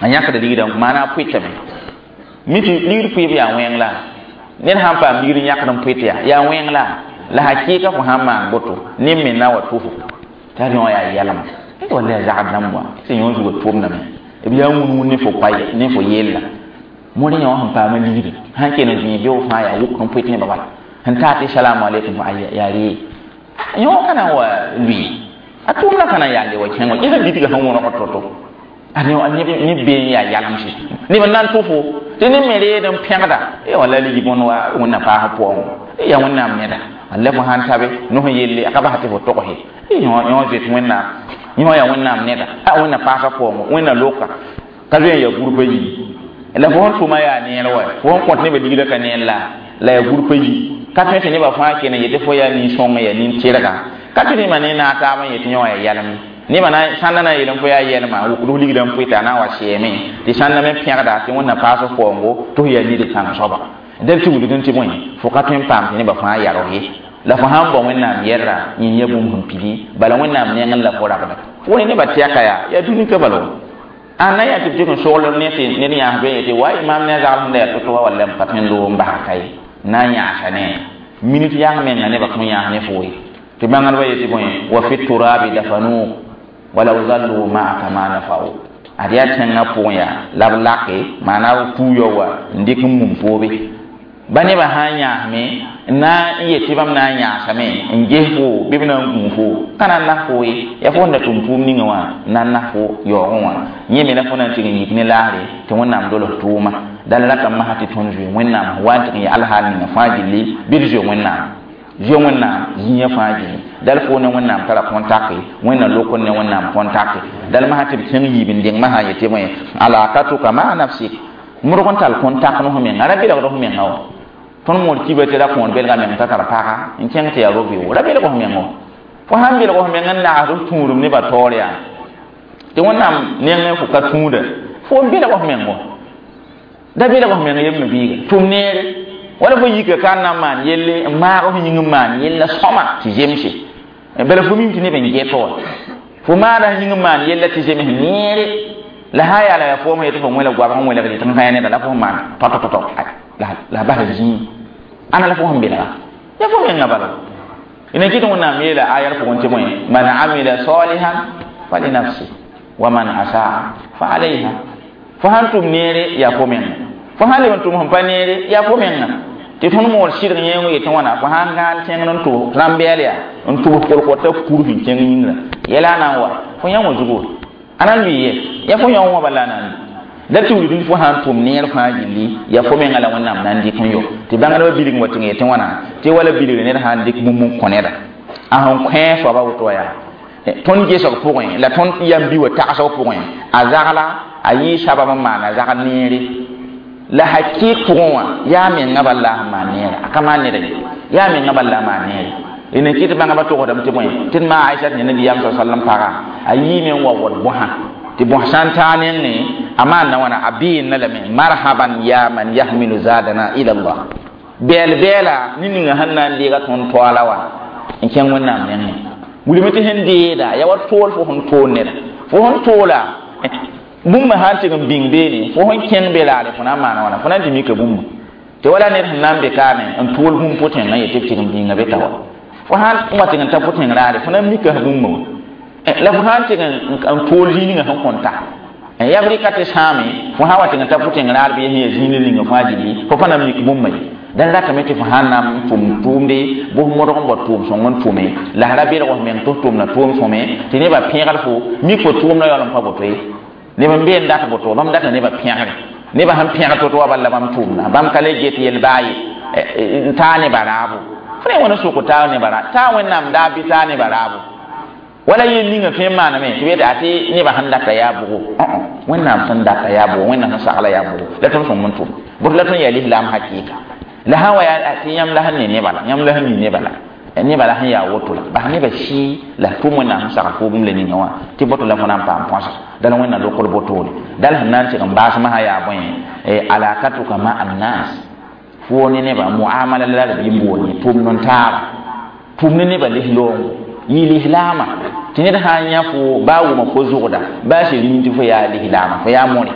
a yãkda ligdã maana a pʋɩtame mi tɩ ligd pʋɩb yaa wẽng la ned sãn paam ligd yãkd n pʋɩt yaa yaa wẽng la la hakɩɩka fo sãn maan boto ne me na wa tʋfo t'a rẽ wã yaa yɛlma walla yaa zagd dãmb wã tɩ yõ zuga tʋmdame b yaa wũn-wũn ne fo koa ne fo yella mõr yã wã sẽn paama ligdi sãn ken n zĩig beoog fãa yaa wʋk n pʋɩt nebã bala sẽn taa tɩ salamu aleykum fo yaa ree yõ ka na n wa lʋɩ a tʋʋmdã ka na n yaa le wa kẽngo yẽsã bitga sẽn wõnegd to-to ne bee n yaa yalemse neb n na n tʋ fo tɩ ne me reed n pẽgda e walla ligi bõn wa Wẽnnaam paasã pʋgẽ yaa Wẽnnaam neda walla fo sãn tabe nos yelle a ka bas tɩ fo togse yõ zoet Wẽnnaam yõ yaa Wẽnnaam neda a Wẽnnaam paasã pʋgẽ Wẽnnaam loka ka zoe n yaa gũrpã yi la fo sẽn tʋma yaa neer wa fo sẽn kõt nebã ligdã ka neer la la yaa gũrpã yi ka tõe tɩ nebã fãa ken n yetɩ fo yaa nin-sõng yaa nin-tɩrga ka tõe tɩ nebã ne naag taab n yetɩ yõ yaa yɛlem nebã na sãnda na n yeel fo yaa yɛlma wʋkd f ligdã n pʋɩta a na n wa sɛɛme tɩ sãnda me pẽgda tɩ Wẽnnaam paas f paoongo tɩ f yaa nid kãng soaba dal tɩ wilg tɩ bõe fo ka tõe n paam tɩ nebã fãa yarg ye la fo sãn bao Wẽnnaam yɛrda yĩn ya bũmb sẽn pidi bala Wẽnnaam nengẽ la fo rabda fo ne nebã tɛka yaa yaa dũni ka bala a na yaa tɩ b tɩk n sogl ne tɩ ned yãas be yetɩ wa maam ne a zagl sẽn da yaa to-to wa walla m pa tõe n loog n basa ka ye na n yãasa ne minit yang menga nebã kõn yãas ne fo ye tɩ bãngdbã yetɩ bõe wa fi turabi dafanu walaw zallu ma'aka ma nafa'u ad yaa tẽngã pʋgẽ yaa la b lake maana b kuuyã wa n dɩk n mum poobe ba nebã sã n yãasme n na n yet tɩ bãmb na n yãasame n ges fo bɩ b na n gũu fo ka na n nas fo ye yaa fo sẽn da tʋm tʋʋm ninga wã n na n nas fo yaoogẽ wã yẽ me la fo na n tɩg n yik ne laasre tɩ Wẽnnaam dolg tʋʋma dal ratame masã tɩ tõnd zoe Wẽnnaam wa n tɩg n yaa alhaal ninga fãa gilli bɩ d zoe Wẽnnaam zoe Wẽnnaam zĩigã fãa gilli dal fo ne Wẽnnaam tara contact Wẽnnaam lokr ne Wẽnnaam contact dal masã tɩ b kẽng yiib n deng masã yetɩ bõe alakatuka maa nafsik modg n tall contact ne f menga ra belgd f menga wa tõnd moor kiba tɩ ra kõor belga meng t'a tar paga n kẽng tɩ yaa ro-vɩʋ ra belg f meng fo sãn belg f meng n nagsd f tũudum nebã taoor yaa tɩ Wẽnnaam nengẽ fo ka tũuda fo n belg f meng da belg f meng yembe biiga tʋm neere wala fo yika ka n na n maan yelle n maag f yĩng n maan yella sõma tɩ zemse bala fo mim tɩ neb n get wa fo maada yĩng n maan yella tɩ zems neere la sã yaa la yaa foom yetɩ fo wẽla goabg n wẽlgd tɩ n kã neda la fo maan tɔ-tɔ-tɔ la bas zĩig ana la fo sẽn belga ya fo menga bala ina kɩt Wẽnnaam yeela ayar pʋgẽ tɩ bõe man amila salihan falinafsi wa man asaa fa alayha fo sãn tʋm neere yaa fo menga fo sãn leb n tʋm sẽn pa neere yaa fo menga tɩ tõnd moor sɩdg yẽeng yetɩ wãna fo sãn gãan tẽngd n tʋb rãmbɛɛl yaa n tʋbs kolkota kur sẽn kẽng yĩngrã yɛla na n wa fo yã wã zugu a na n lʋɩ ye yaa fo yã wã bala na n da tɩ wilg fo sãn tʋm neer fãa gilli yaa fo menga la Wẽnnaam na n dɩk n yo tɩ bãngdbã bilg wa tɩng yetɩ wãna tɩ wala bilgre ned sãn dɩk bũmb n kõ neda A sẽn kõ soaba woto yaa tõnd gesg pʋgẽ la tõnd yam bi wa tagsg pʋgẽ a zagla a yɩ sabab n maan a zagl neere la hakɩɩk pʋgẽ wã yaa menga bala la sẽn maan neere a ka maan neda ye yaa menga bala la maan neere d kɩt bãngba togsdame tɩ bõe tɩ d maa Aisat ne nabiyaam sa sallam paga a yiime n wa wad bõsa tɩ bõs sã n taa nengẽ a maanda wãna a bɩɩnna lame marhaban ya man yahmilu zadana ila Allah bɛɛl bɛɛla ne ninga sẽn na n deega tõnd toaala wã n kẽng wẽnnaam nengẽ wilame tɩ sẽn deeda ya wa tool fo sẽn tool neda fo sẽn toola bũmba sã n tɩg n bĩng beene fo sẽn kẽng be laare fo na n maana wãna fo na n tɩ mika bũmba tɩ wala ned sẽn na n be kaame n tool bũmb pʋtẽngã yetɩ b tɩg n bĩnga be ta wa fo sãn wa tɩg n ta pʋtẽng raare fo na n mika bũmba wã la fo sãn tɩg n tool zĩig ninga sẽn kõn ta ya b rɩka tɩ sãame fo sã wa tɩg n ta pʋtẽng raar bɩ sẽn yaa zĩig ninga fãa gilli fo pa na n mik bũmba ye dãn ratame tɩ fo sãn na n tʋm tʋʋmde bʋs modg n bao tʋʋm sõng n tʋme la ra belg f meng tɩ f tʋmda tʋʋm sõme tɩ nebã pẽgd fo mik fo tʋʋmda yaool n pa boto ye neb n be n dat boto bãmb data nebã pẽgre nebã sẽn pẽgd to-to wa bal la bãmb tʋʋmda bãmb ka le get yel-baa ye n taa nebã raabo fo ne wãna sʋk taa nebã ra taa wẽnnaam daa bɩ taa nebã raabo wala yel ninga tõe n maaname tɩ b yetɩ tɩ nebã sẽn data yaa bʋgo wẽnnaam sẽn data yaa bʋgo wẽnnaam sẽn sagla yaa bʋgo la tõnd sõng n tʋm bʋt la tõnd yaa lislaam hakɩɩka la sã wa yaa tɩ yãmb la sẽn ne nebã la yãmb la sẽn mi nebã la nebã la sẽn yaa woto la bas nebã sɩɩ la tʋm wẽnnaam sẽn sagl fo bũmb la ninga wã tɩ boto la fo na n paam põsa dal wẽnna lokd botoore dal sẽn na n tɩg n baas masã yaa bõe alakatuka ma annas fo ne nebã muamala la d bɩ n boon ye tʋmd n taaba tʋm ne nebã lis-loongo yɩ lislaama tɩ ned sã n yã fo baa wʋma fo zʋgda baa sɩd min tɩ fo yaa lislaama fo yaa mõre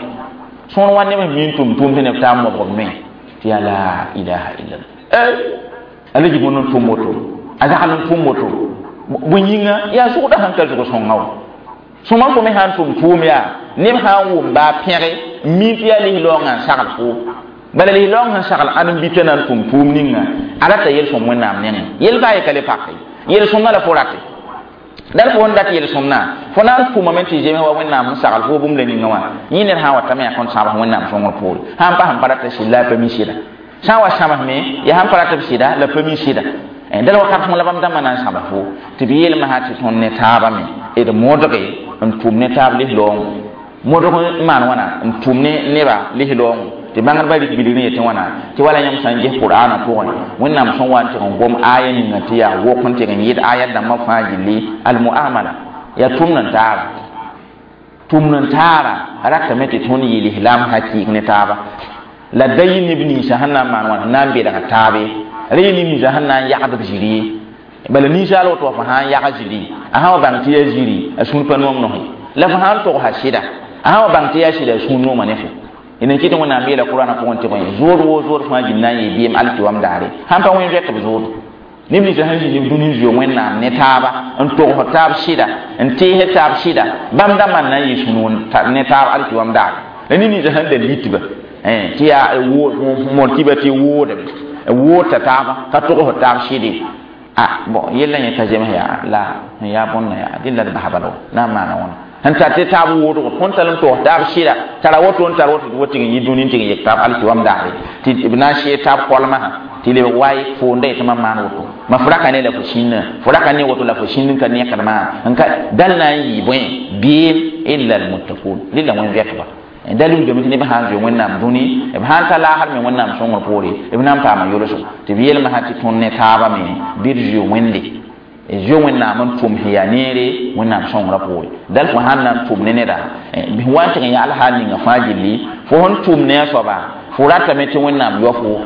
sõor wa neb sẽn min tʋm tʋʋm tɩ neb taa n mobg b noe tɩ yaa la ilaha illallah ala gibõnd n tʋm woto a zagl n tʋm woto bõe yĩnga yaa zʋgda sẽn ka zʋg sõnga wã sõma fo me sã n tʋm tʋʋm yaa neb sã n wʋm baa pẽge n min tɩ yaa lis-loongã n sagl fo bala lis-loong sẽn sagl ãn n bita na n tʋm tʋʋm ninga a rata yel-sõm wẽnnaam nengẽ yel-baa ye ka le pake yel-sõmna la fo rate dal fo n dat yel-sõmna fo na n tʋmame tɩ zems wa wẽnnaam n sagl fo bũmb la ninga wã yẽ ned sã n watame yaa kõn sãbs wẽnnaam sõngr poore sã n pa sẽn pa rata sɩd la a pa mi sɩda sã n wa sãbsme yaa sãn pa rat b sɩda la pa mi sɩda dal wakat sõng la bãmb dãmbã na n sãbs fo tɩ b yeelme sã tɩ tõnd ne taabã me d modge n tʋm ne taab lis-loongo modg n maan wãna n tʋm ne nebã lis-loongo tɩ bãngdbã rɩk bilg n yetɩ wãna tɩ wala yãmb sã n ges qur'aanã pʋgẽ wẽnnaam sẽn wa n tɩg n gom aya ninga tɩ yaa wok n tɩg n yɩd ayat dãmbã fãa gilli almuamala yaa tʋmd n taara tʋmd n taara ratame tɩ tõnd yɩ lislaam hakɩɩk ne taaba la da yɩ neb ninsã sẽn na n maan wãna na n belg taabe ra yɩ neb ninsã sẽn na n yagd b zĩri ye bala ninsaal woto wa fo sã n yag zĩri a sã wa bãng tɩ yaa zĩri a sũur pa noom nosẽ la fo sã n togsa sɩda a sã wa bãng tɩ yaa sɩda a sũur nooma ne fo n kɩt wẽnnaam yeela qur'ana pʋgẽ tɩ bõe zood woo zood fãa gil na n yɩ bɩɩm alkiwam daare sãn pa wẽn zoɛt b zood neb ninsã sẽn zĩ neb dũni n zoe wẽnnaam ne taaba n togs taab sɩda n tees taab sɩda bãmb dãmbã n na n yɩ sũ-noog ne taab alkiwam daare la neb ninsã sẽn da litba tɩ yaa mor tɩba tɩ woodame woodta taaba ka togs taab sɩde a bon yella yẽ ka zems yaa la sẽn yaa bõnna yaa dẽn la d bas bala na n maana wãna sẽn tar tɩ taab woodgo tõnd tar n togs taab sɩda tara woto n tar woto tɩ tɩg n yɩ dũni n tɩg n yek taab alkiwam daare tɩ b na n see taab koalmasã tɩ lebg waay foonda yetɩ mam maan woto ma fo raka ne la fo sĩnnã fo raka ne woto la fo sĩnd n ka nekdmã n ka dal na n yɩ bõe beem illa almuttaqun rɩla wẽn-vɛtba da lugdame tɩ neb sã n zoe wẽnnaam dũni b sã n ta laasd me wẽnnaam sõngr poore b na n paama yolsg tɩ b yeelmsã tɩ tõnd ne taabã me bɩ d zoe wẽnde zoe wẽnnaam n tʋm sẽn yaa neere wẽnnaam sõngrã poore dal fo sãn na n tʋm ne neda bɩ wa n tɩg n yagl hal ninga fãa gilli fo sẽn tʋm ne a soaba fo ratame tɩ wẽnnaam yao fo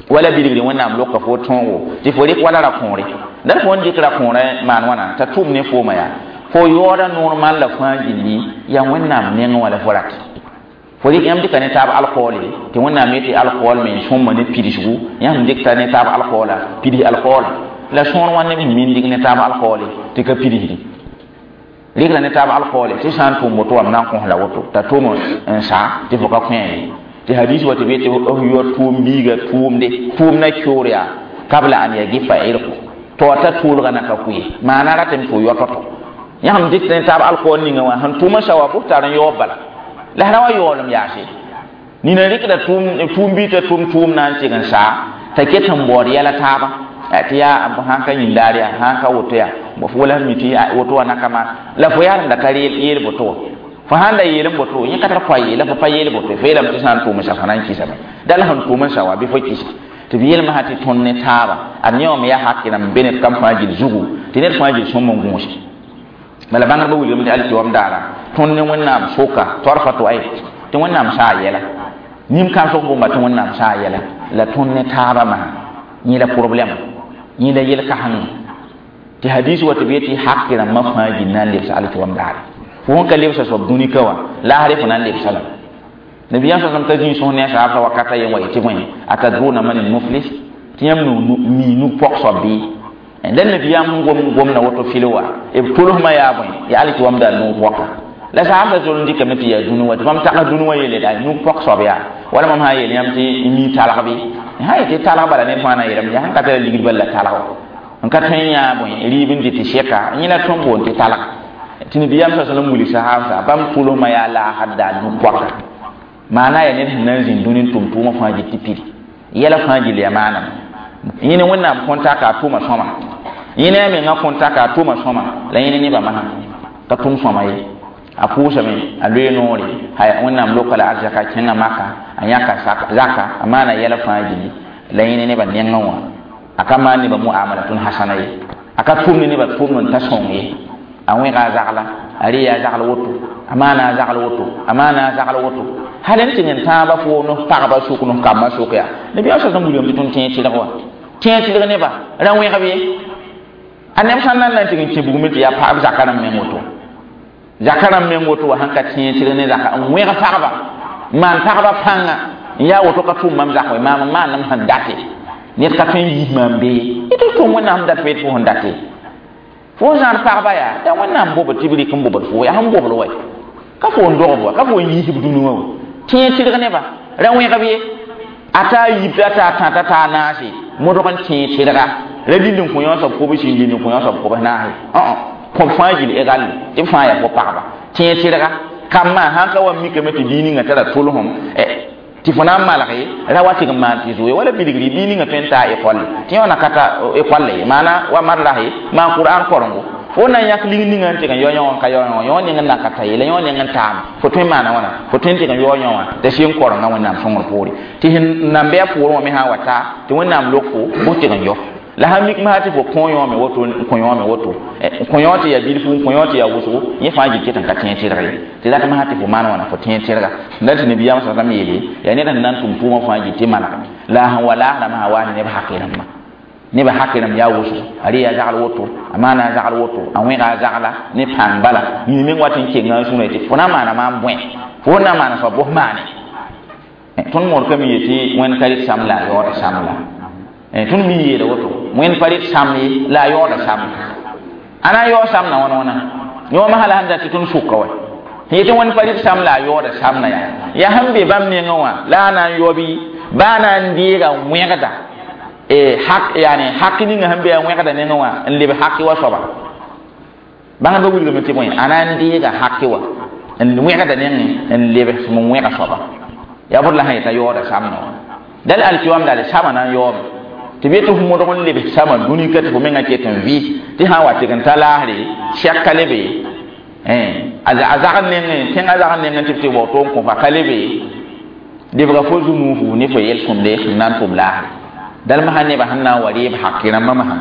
wala bilgre wẽnnaam loka fo tõogo tɩ fo rɩk wala ra-kõore dal fo n dɩk ra-kõorã maan wãna t'a tʋm ne fooma yaa fo yaooda noor maan la fãa gilli yaa wẽnnaam nengẽ wã la fo rate fo rɩk yãmb dɩka ne taab alkoole tɩ wẽnnaam yetɩ alkool me sõmma ne pidsgu yãmb dɩkta ne taab alkoola pids alkoola la sõor wã neb sẽn min dɩk ne taab alkoole tɩ ka pidsdi rɩkla ne taab alkoole tɩ sã n tʋm woto wam na n kõs la woto t'a tʋm n sa tɩ fo ka kõe ye tɩ hadis wa tɩ b yetɩ f yao tʋʋm biiga tʋʋmde tʋʋm na keoor yaa kabla an yagifa irko to ta tʋʋlga na ka kʋye maana ratame tɩ fo yao tɔ-tɔ yãmb dɩk ne taab alkool ninga wã sẽn tʋʋma sa wa bʋ tar n yaoob bala la sã wa yaoolem yaase nina rɩkda tʋʋm bi t'a tʋm tʋʋm na n tɩg n saa t'a ket n baood yɛla taaba Tɩ yaa sãn ka yĩn daar yaa sãn ka woto yaa fo wala mi tɩ woto wã naka maan la fo yaa rẽnda ka yeel boto wã fo sãn da yeel n boto yẽ ka tar koa yeela fo pa yeel boto fo yeelame tɩ sã n tʋʋm sa fo na n kɩsame dal sẽn tʋʋm n sa wa bɩ fo kɩsa tɩ b yelmsã tɩ tõnd ne taaba ad yẽ wame yaa hak rãmb be ned kam fãa gill zugu tɩ ned fãa gill sõm n gũuse bala bãngdbã wilgame tɩ alkiwam daara tõnd ne wẽnnaam soka torfa to ay tɩ wẽnnaam saa yɛla nim-kãsg bũmba tɩ wẽnnaam saa yɛla la tõnd ne taabã masã yẽ la problɛm yẽ la yel-kãseng tɩ hadis wa tɩ b yetɩ hak rãmbã fãa gill na n lebsa alkiwam daare fo sẽn ka lebsa soab dũnika wã laasre fo na n lebsa lame nabiyam sallam ka zĩ sõs ne a saabsã wakata yen wa yetɩ bõe atadruna man muflis tɩ yãmb mi nug pɔg soab bɩ dãn nabiyaam sẽn gom gomda woto fil wa b tolsmã yaa bõe yaa alki wamda nug pɔka la saabsã zol n dɩkame tɩ yaa dũni wa tɩ bãmb tags dũni wã yeele daa nug pɔg soab yaa wala mam sã n yeel yãmb tɩ mi talg bɩ sã yetɩ talg bala ned fãa na yeelame yaa sẽn ka tara ligd bal la talg n ka tõe n yãa bõe rɩɩb n dɩ tɩ sɛka yẽ la tõnd boond tɩ talg tɩ nabiyaam sa sallam wilg sahaabsã bãmb tolsmã yaa laasd daa nug pɔka maana ya ned sẽn na n zĩnd dũni n tʋm tʋʋmã fãa gil tɩ pidi yɛla fãa gill yaa maaname yẽ ne wẽnnaam kõn taka a tʋʋma sõma yẽ ne a menga kõn taka a tʋʋma sõma la yẽ ne nebã masã ka tʋm sõma ye a pʋʋsame a loe noore wẽnnaam loka la arzaka kẽngã maka a yãka zaka a maana yɛla fãa gilli la yẽ ne nebã nengẽ wã a ka maan nebã muamalatun hasana ye a ka tʋm ne nebã tʋʋmd n ta sõng ye a wẽga a zagla a re yaa zagl woto a maana a zagl woto a maana a zagl woto hal n tɩ n tãabã fo no pagba sʋk no kambã sʋk yaa nabiyaam sa sãn wilgame tɩ tõnd tẽeg tɩlg wa tẽeg tɩlg nebã ra wẽgb ye a neb sãn nan na n tɩg n kẽ bugme tɩ yaa pagb zaka rãmb meng woto zaka rãmb meng woto wa sãn ka tẽeg tɩlg ne zaka n wẽg pagba n maan pagba pãnga n yaa woto ka tʋʋm mam zak we maam n maanam sẽn date ned ka tõe n yis maam bee y tɩ tʋm wẽnnaam dat fo fo sẽn date fo zãad pagba yaa yaa wẽnnaam bobd tɩ b rɩk n bobd fo yaa sẽn bobd wa ka fo n dogb wa ka fo n yiisb dũni wã tẽeg tɩlg nebã ra wẽgb ye a taa yib t'a taa tãta taa naase modg n tẽeg tɩlga ra lill n kõ yõ soab kobs n lill n kõ yõ soab kobs naase kõb fãa gill egal tɩ b fãa yaa fo pagba tẽeg tɩlga kambã sãn ka wa mikame tɩ bii ninga tara tʋlsem tɩ fo na n malge ra wa tɩg n maan tɩ zoe wala bilgri bii ninga tõe n taa ekolle tɩ yõ na ka ta ekolle ye maana wa madrase maan qur'an korengo fo na n yãk lig ninga n tɩg n yao yõ n ka yao yõ yõ ning n na ka ta ye la yõ ning n taame fo tõe n maana wãna fo tõe n tɩg n yao yõ wã t'a sɩ n korenga wẽnnaam sõngr poore tɩ sẽn nan be a poorẽ wã me sã n wa ta tɩ wẽnnaam lok fo bʋs tɩg n yao la sãn mik masã tɩ fo kõ yõome woto n kõ yõome woto n kõ yõ tɩ yaa bilfu n kõ yõ tɩ yaa wʋsgo yẽ fãa gil ket n ka tẽeg tɩlg ye tɩ rat masã tɩ fo maan wãna fo tẽeg tɩlga la tɩ nabiyaam sa sãm yeele yaa ned sẽn na n tʋm tʋʋmã fãa gil tɩ malgame la sẽn wa laasrã masã waa ne neb hakɩ rãmbã nebã hakɩ rãmb yaa wʋsgo a re yaa zagl woto a maana a zagl woto a wẽga a zagla ne pãng bala yĩng meng wat n kenga n sũurã tɩ fo na n maana maam bõe fo na n maana soab bʋs maane tõnd modkame yetɩ wẽnd ka rɩt sam la a yaooda sam la tõnd mi yeela woto wẽnd pa rɩt sam ye la a yaooda sam a na n yaoog samna wãna wãna yõoma hala sẽn dat tɩ tõnd sʋka wa yetɩ wẽnd pa rɩt sam la a yaooda samna yaa yaa sẽn be bãmb nengẽ wã la a na n yao bɩ baa na n deega wẽgda hak yani hak ninga sẽn be a wẽgda nengẽ wã n leb haki wa soaba bãngdbã wilgame tɩ bõe a na n deega haki wa n wẽgda nengẽ n leb sẽm n wẽga soaba yaa bõd la sã yeta yaooda samna wã dal alkiwam daale sama na n yaoome tɩ b yetɩ f modg n leb sama dũni ka tɩ fo menga ket n vɩ tɩ sã n wa tɩg n ta laasre sɛk ka lebe a zagr nengẽ tẽngã zagr nengẽ tɩ b tɩ bao to n kõ fa ka lebe lebga fo zu-nuufu ne fo yel-sõmde sẽn na n tʋm laasre dal masã nebã sẽn na n wa reeb haki rãmbã masã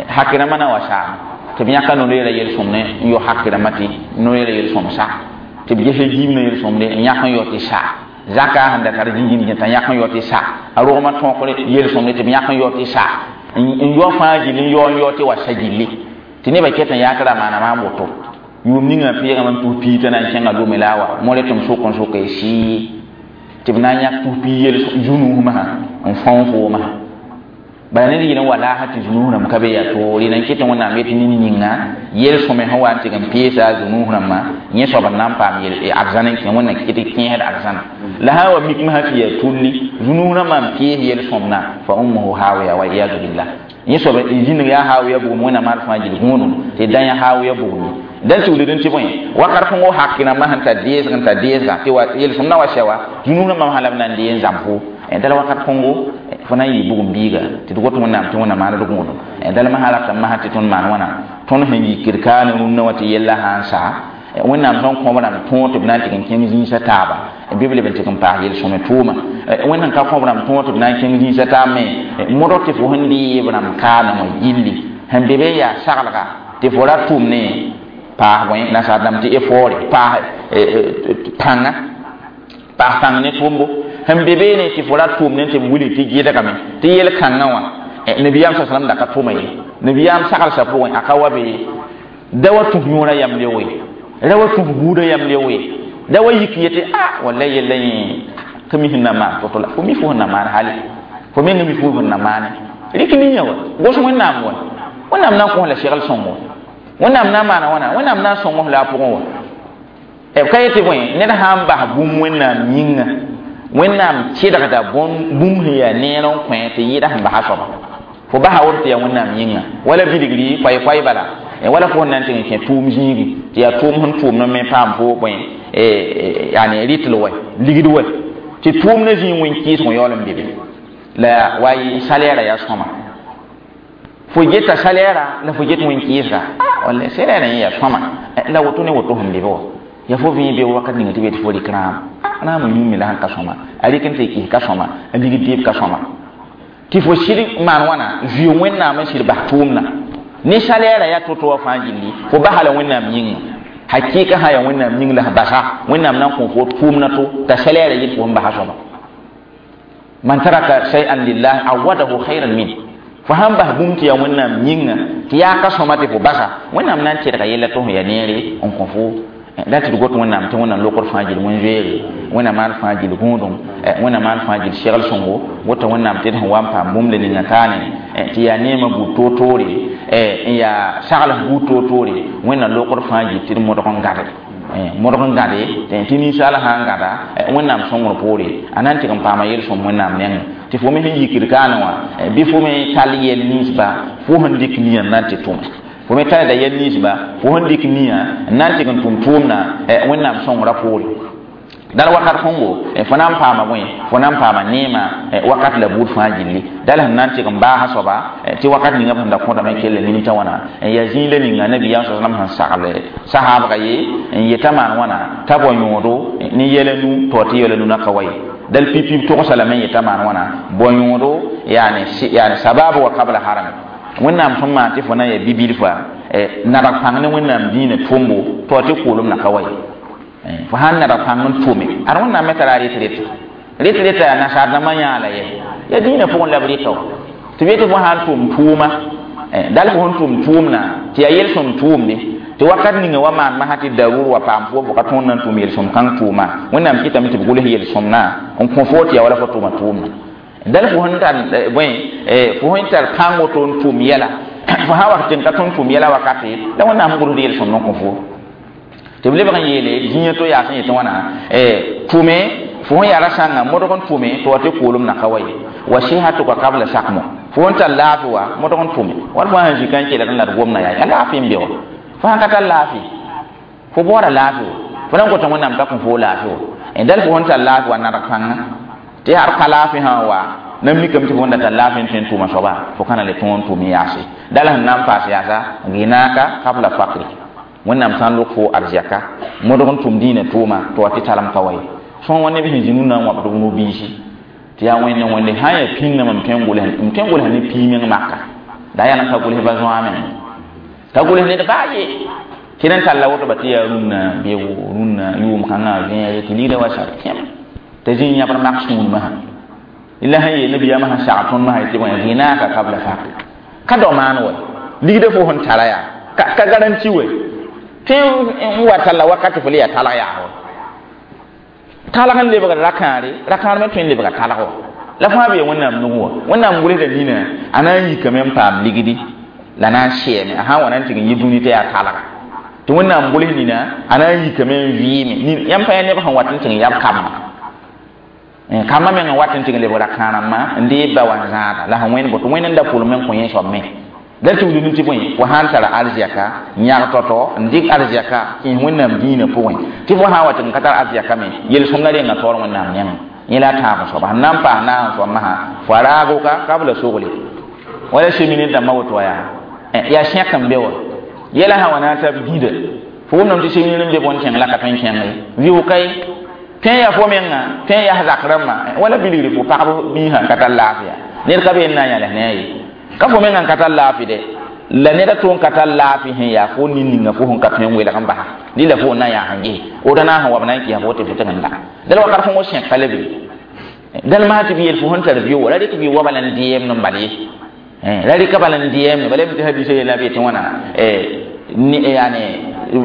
haki rãmbã na wa saame tɩ b yãka no-loeera yel-sõmde n yao haki rãmbã tɩ no-loeera yel-sõm sa tɩ b ges giim na yel-sõmde n yãk n yao tɩ sa zaka sẽn da tar zĩngim t'a yãk n yao tɩ sa a rogmã tõokr yel-sõmde tɩ b yãk n yao tɩ sa n yao fãa gill n yao n yao tɩ wa sa gilli tɩ nebã ket n yaakra maana maam woto yʋʋm ninga peegame n tus piig t'a na n kẽnga lome la a wa more tɩ m sʋk n sʋka y sɩɩ tɩ b na n yãk tus piig yel zu-nuus masã n fãoo foo masã bala ned yɩl n wa laasã tɩ zu-nuus rãmb ka be yaa toore na n ket wẽnnaam yetɩ ned ninga yel-sõme sẽn wa n tɩg n peesa a zu-nuus rãmbã yẽ soab n na n paam arzãn n kẽ wẽnna ket kẽesd arzãna la sã n wa mik masã tɩ yaa tulli zu-nuus rãmbã n pees yel-sõmna fa ummuhu hawiya wa iyadu billah yẽ soab zĩnig yaa hawiya bugum wẽnnaam ad fãa gil gũudum tɩ dã yã hawiya bugum dal tɩ wilg tɩ bõe wakat kõngo hak rãmbã sẽn tar deesg n tar deesga tɩ wa yel-sõm na wa sɛ wa zu-nuus rãmbã sã la b na n dee n zãm fo dal wakat kõngo Fo na n yɩ bugum biiga tɩ d got Wẽnnaam tɩ Wẽnnaam maan d gũudum. Dal masã ratame masã tɩ tõnd maan wãna tõnd sẽn yikd kaane rũnnã wã tɩ yella sã n sa Wẽnnaam sẽn kõ b rãmb tõog tɩ b na n tɩg n kẽng zĩisã taaba bɩ b leb n tɩg n paas yel-sõme tʋʋma. Wẽnd sẽn ka kõ b rãmb tõog tɩ b na n kẽng zĩisã taab me modg tɩ fo sẽn dɩ b rãmb kaane wã gilli sẽn be be n yaa saglga tɩ fo ra tʋm ne paas bõe nasaar dãmb tɩ effort paas pãnga paas pãng ne tʋʋmbo sẽn be beene tɩ fo ra tʋʋm ne tɩ b wilg tɩ gɩdgame tɩ yel-kãngã wã nabiyaam sa salam da ka tʋma ye. Nabiyaam saglsã pʋgẽ a ka wa be da wa tũs yõora yam leo ye, ra wa tũs buudã yam leo ye, da wa yik yetɩ a walla yella yẽ ka mi sẽn na maan to-to la fo mi fo sẽn na maan hali fo meng mi fo sẽn na maane rɩk ninga wa gos Wẽnnaam wa. Wẽnnaam na n kõ la segl sõngo, Wẽnnaam na n maana wãna, Wẽnnaam na n sõng la a pʋgẽ wa. B ka yetɩ bõe ned sã n bas bũmb Wẽnnaam yĩnga, Wẽnnaam kɩdgda bũmb sẽn yaa neer n kõ tɩ yɩɩda sẽn basa soaba fo basa woto tɩ yaa Wẽnnaam yĩnga wala bilgri koay-koay bala wala fo sẽn na n tɩg n kẽ tʋʋm zĩigi tɩ yaa tʋʋm sẽn tʋʋmd me paam fo bõe yaani rɩtl wɛ ligd wɛ tɩ tʋʋmdã zĩig wẽn kɩɩsg yaool n be be la wa salɛɛra yaa sõma fo geta salɛɛra la fo get wẽn kɩɩsga walla salɛɛrã yẽ yaa sõma la woto ne woto sẽn be be wa ya fo vẽe be wakat ninga tɩ be tɩ fo rɩk rãam rãam yũme la sẽn ka sõma a rɩk n tɩ kɩs ka sõma a ligd deeb ka sõma tɩ fo sɩd maan wãna zuɩ Wẽnnaam n sɩd bas tʋʋmdã ne salɛɛra yaa to-to wã fãa gilli fo basa la Wẽnnaam yĩnga hakɩɩka sã yaa Wẽnnaam yĩng la sẽn basa Wẽnnaam na n kõ fo tʋʋmdã to t'a salɛɛra yet fo sẽn basa soaba. Man taraka shay'an lillah awadahu khayran min fo sãn bas bũmb tɩ yaa Wẽnnaam yĩnga tɩ yaa ka sõma tɩ fo basa Wẽnnaam na n tɩrga yella tɩ fo yaa neere n kõ fo la tɩ d got Wẽnnaam tɩ Wẽnnaam lokd fãa gill wẽn-zoeere, Wẽnnaam maan fãa gill gũudum, Wẽnnaam maan fãa gill segl sõngo wota Wẽnnaam tɩ d sẽn wa n paam bũmb le ninga taane tɩ yaa neemã buud toor-toore n yaa sagls buud toor-toore Wẽnnaam lokd fãa gill tɩ d modg n gãde modg n gãde tɩ ninsaal sã n gãda Wẽnnaam sõngr poore a na n tɩg n paama yel-sõm Wẽnnaam nengẽ tɩ fo me sẽn yikd kaane wã bɩ fo me tall yɛl ninsba fo sẽn dɩk nia n na n tɩ tʋme fo me talda yɛl ninsba fo sẽn dɩk nia n na n tɩg n tʋm tʋʋmdã Wẽnnaam sõngrã poore dal wakat kõngo fo na n paama bõe fo na n paama neemã wakat la buud fãa gilli dal sẽn na n tɩg n baasa soaba tɩ wakat ninga b sẽn da kõtame kell nimtã wãna n yaa zĩig la ninga nabiyaam sa salam sẽn sagle sahaabga ye n yeta maan wãna t'a bao yõodo ne yɛla nu tɩ wa tɩ yɛla nu na ka wa ye dal pipi togsa lame n yeta maan wãna bao yõodo yaani yaani sababu wa qabla harami Wẽnnaam sẽn maan tɩ fo na n yaa bi-bilfa nadg pãng ne Wẽnnaam dĩinã tʋmbo tɩ wa tɩ koolem na ka wa ye fo sãn nadg pãng n tʋme ad Wẽnnaam me tara rɩt rɩt rɩt rɩta yaa nasaar dãmbã yãala ye yaa dĩinã pʋgẽ la b rɩta wa tɩ b yetɩ fo sãn tʋm tʋʋma dal fo sẽn tʋm tʋʋmdã tɩ yaa yel-sõm tʋʋmde tɩ wakat ninga wa maan masã tɩ darur wa paam fo fo ka tõnd na n tʋm yel-sõm kãng tʋʋma Wẽnnaam kɩtame tɩ b gʋls yel-sõmdã n kõ fo tɩ yaa wala fo tʋma tʋʋmdã dal fo sẽn tar bõe fo sẽn tar pãng woto n tʋm yɛla fo sã wa tɩ n ka tõnd tʋm yɛla wakate la Wẽnnaam gʋlsd yel-sõmd n kõ fo tɩ b lebg n yeele zĩiga to yaa sẽn yetɩ wãna tʋme fo sẽn yaa ra sãnga modg n tʋme tɩ wa tɩ koolem na ka wa ye wa sɩhatuka kabla sakmo fo sẽn tar laafɩ wa modg n tʋme wala fo sãn zĩ ka n kelg n la d gomna yaa yaa laafɩ n be wa fo sãn ka tar laafɩ fo baoora laafɩ wa fo na n gota Wẽnnaam t'a kõ fo laafɩ wa dal fo sẽn tar laafɩ wa nadg pãnga tɩ har ka laafɩ sã n wa na mikame tɩ fo n da tar laafɩ n tõe n tʋʋma soaba fo ka na le tõog n tʋʋm yaase dal sẽn na n paas yaasa gɩnaaka kabla fakri Wẽnnaam sã n lok fo arzɛka modg n tʋm dĩinã tʋʋma tɩ wa tɩ talem ka wa ye sõn wa neb sẽn zĩ rũnnã n wãbd b no-biisi tɩ yaa wẽnde wẽnde sã n yaa pĩngame m tõe n gʋls m tõe n gʋls ne pii meng maka la yaa n ka gʋls ba zoa meng ka gʋls ned baa ye tɩ d n talla woto ba tɩ yaa rũnnã beoogo rũnnã yʋʋm kãngã vẽere tɩ ligda wa sar kẽm t'a zĩ yãbr mak sũur masã la sẽn yeel nabiyaamã sẽn sag tõnd masã tɩ bõe gɩnaaka kabla fak ka dao maan wa ligda fo sẽn tara yaa ka garanti we tɩ n wa talla wakati fo le yaa talg yaa wa talg n lebgd rakãare rakãar me tõe n lebga talg wa la fãa bee Wẽnnaam nug wa Wẽnnaam gʋlsda nina a na n yikame n paam ligdi la na n sɛɛme a sã n wa na n tɩg n yi dũni tɩ yaa talga tɩ Wẽnnaam gʋls nina a na n yikame n vɩɩme yãmb pa yaa neb sẽn wat n tɩg n yab kambã kambã meng n wat n tɩg n lebg rakãarãmbã n deeb ba wa n zãada la sẽn wẽnd boto Wẽnd n da pʋlem n kõ yẽ soab me la tugl tɩ bõe fo sã n tara arzɛka yãg tɔ-tɔ n dɩk arzɛka kẽes Wẽnnaam dĩinã pʋgẽ tɩ fo sã n wa tɩg n ka tar arzɛka me yel-sõmda renga taoor Wẽnnaam nengẽ Yẽ la a tãab soaba sẽn na n paas naas soab masã fo a raago ka kabla sogle wala semine dãmbã woto wa yaa yaa sẽk n be wa yɛla sã wa na n tab gĩda fo wʋmdame tɩ semine n be bõn kẽng la ka tõe n kẽng ye vɩʋ-ka ye tõe n yaa fo menga tõe n yaa zak rãmbã wala bilgre fo pagb biisã n ka tar laafɩ ned ka be n na n yãles ne a ye ka fo menga n ka tar laafɩ dɛ la ned a tʋ n ka tar laafɩ sẽn yaa fo nin-ninga fo sẽn ka tõe n welg n basa dɩ la fo n na n yaa sẽn ges woto na n sẽn wa b na n kɩsa fo tɩ fo tɩg n da dal wakat fõ sẽk ka le be dal masã tɩ b yeel fo sẽn tar vɩ wa ra rɩk vɩ wa bala n dɩɛɛmd n bal ye ra rɩka bala n dɩɛɛmd bala tɩ hadisa yeela b yetɩ wãna yani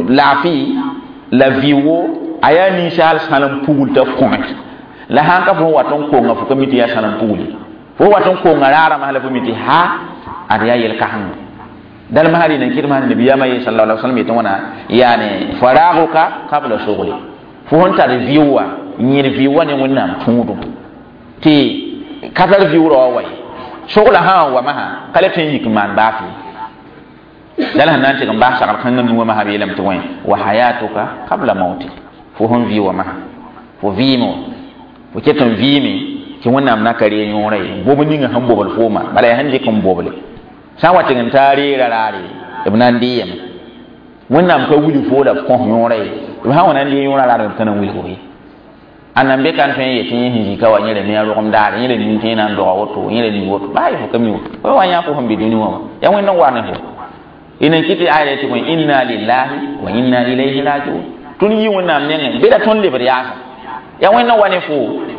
laafɩ la vɩ-wo a yaa ninsaal sãnem pugl t'a kõme la sãn ka fo wat n konga fo ka mi tɩ yaa sãnem pugli fo wat n konga raarã la fo mi tɩ ha ad yaa yel-kãseng dal masã rɩ nan kɩd masã nabiyaamã ye sallallahu alaihi wasallam yetɩ wãna yaani faraaguka qabla sugli fo sẽn tar vɩ wã yẽd vɩ wã ne wẽnnaam tũudum tɩ ka tar vɩʋʋrã wa wa ye sogla sã n wa masã ka le tõe n yik n maan baafɩ dal sẽn na n tɩg n bas sagl kãngã nuwã masã b yeelame tɩ wẽ wa hayatuka qabla mautik fo sẽn vɩ wa masã fo vɩɩme wã fo ket n vɩɩme tɩ wẽnnaam na ka ree yõora ye bobl ninga sẽn bobl fooma bala yaa sẽn dɩk n boble sã n wa tɩg n taa reera raare b na n dɩ yame wẽnnaam ka wilg fo la b kõs yõora ye b sã n wa na n dɩ yõora raare b ka na n wilg ye ãnna n be ka n tõe n yetɩ yẽ sẽn zĩka wa yẽ ra mi a rogem daare yẽ ra nin tɩ yẽ na n doga woto yẽ ra mi woto baa ye fo ka mi woto fo wa yã fo sẽn be dũni wã wã yaa wẽnd n wa ne fo y nan kɩ tɩ aya tɩ bõe inna lillahi wa inna ilayhi rajiun tõnd yi wẽnnaam nengẽ be la tõnd lebd yaasa yaa wẽnd n wa ne fo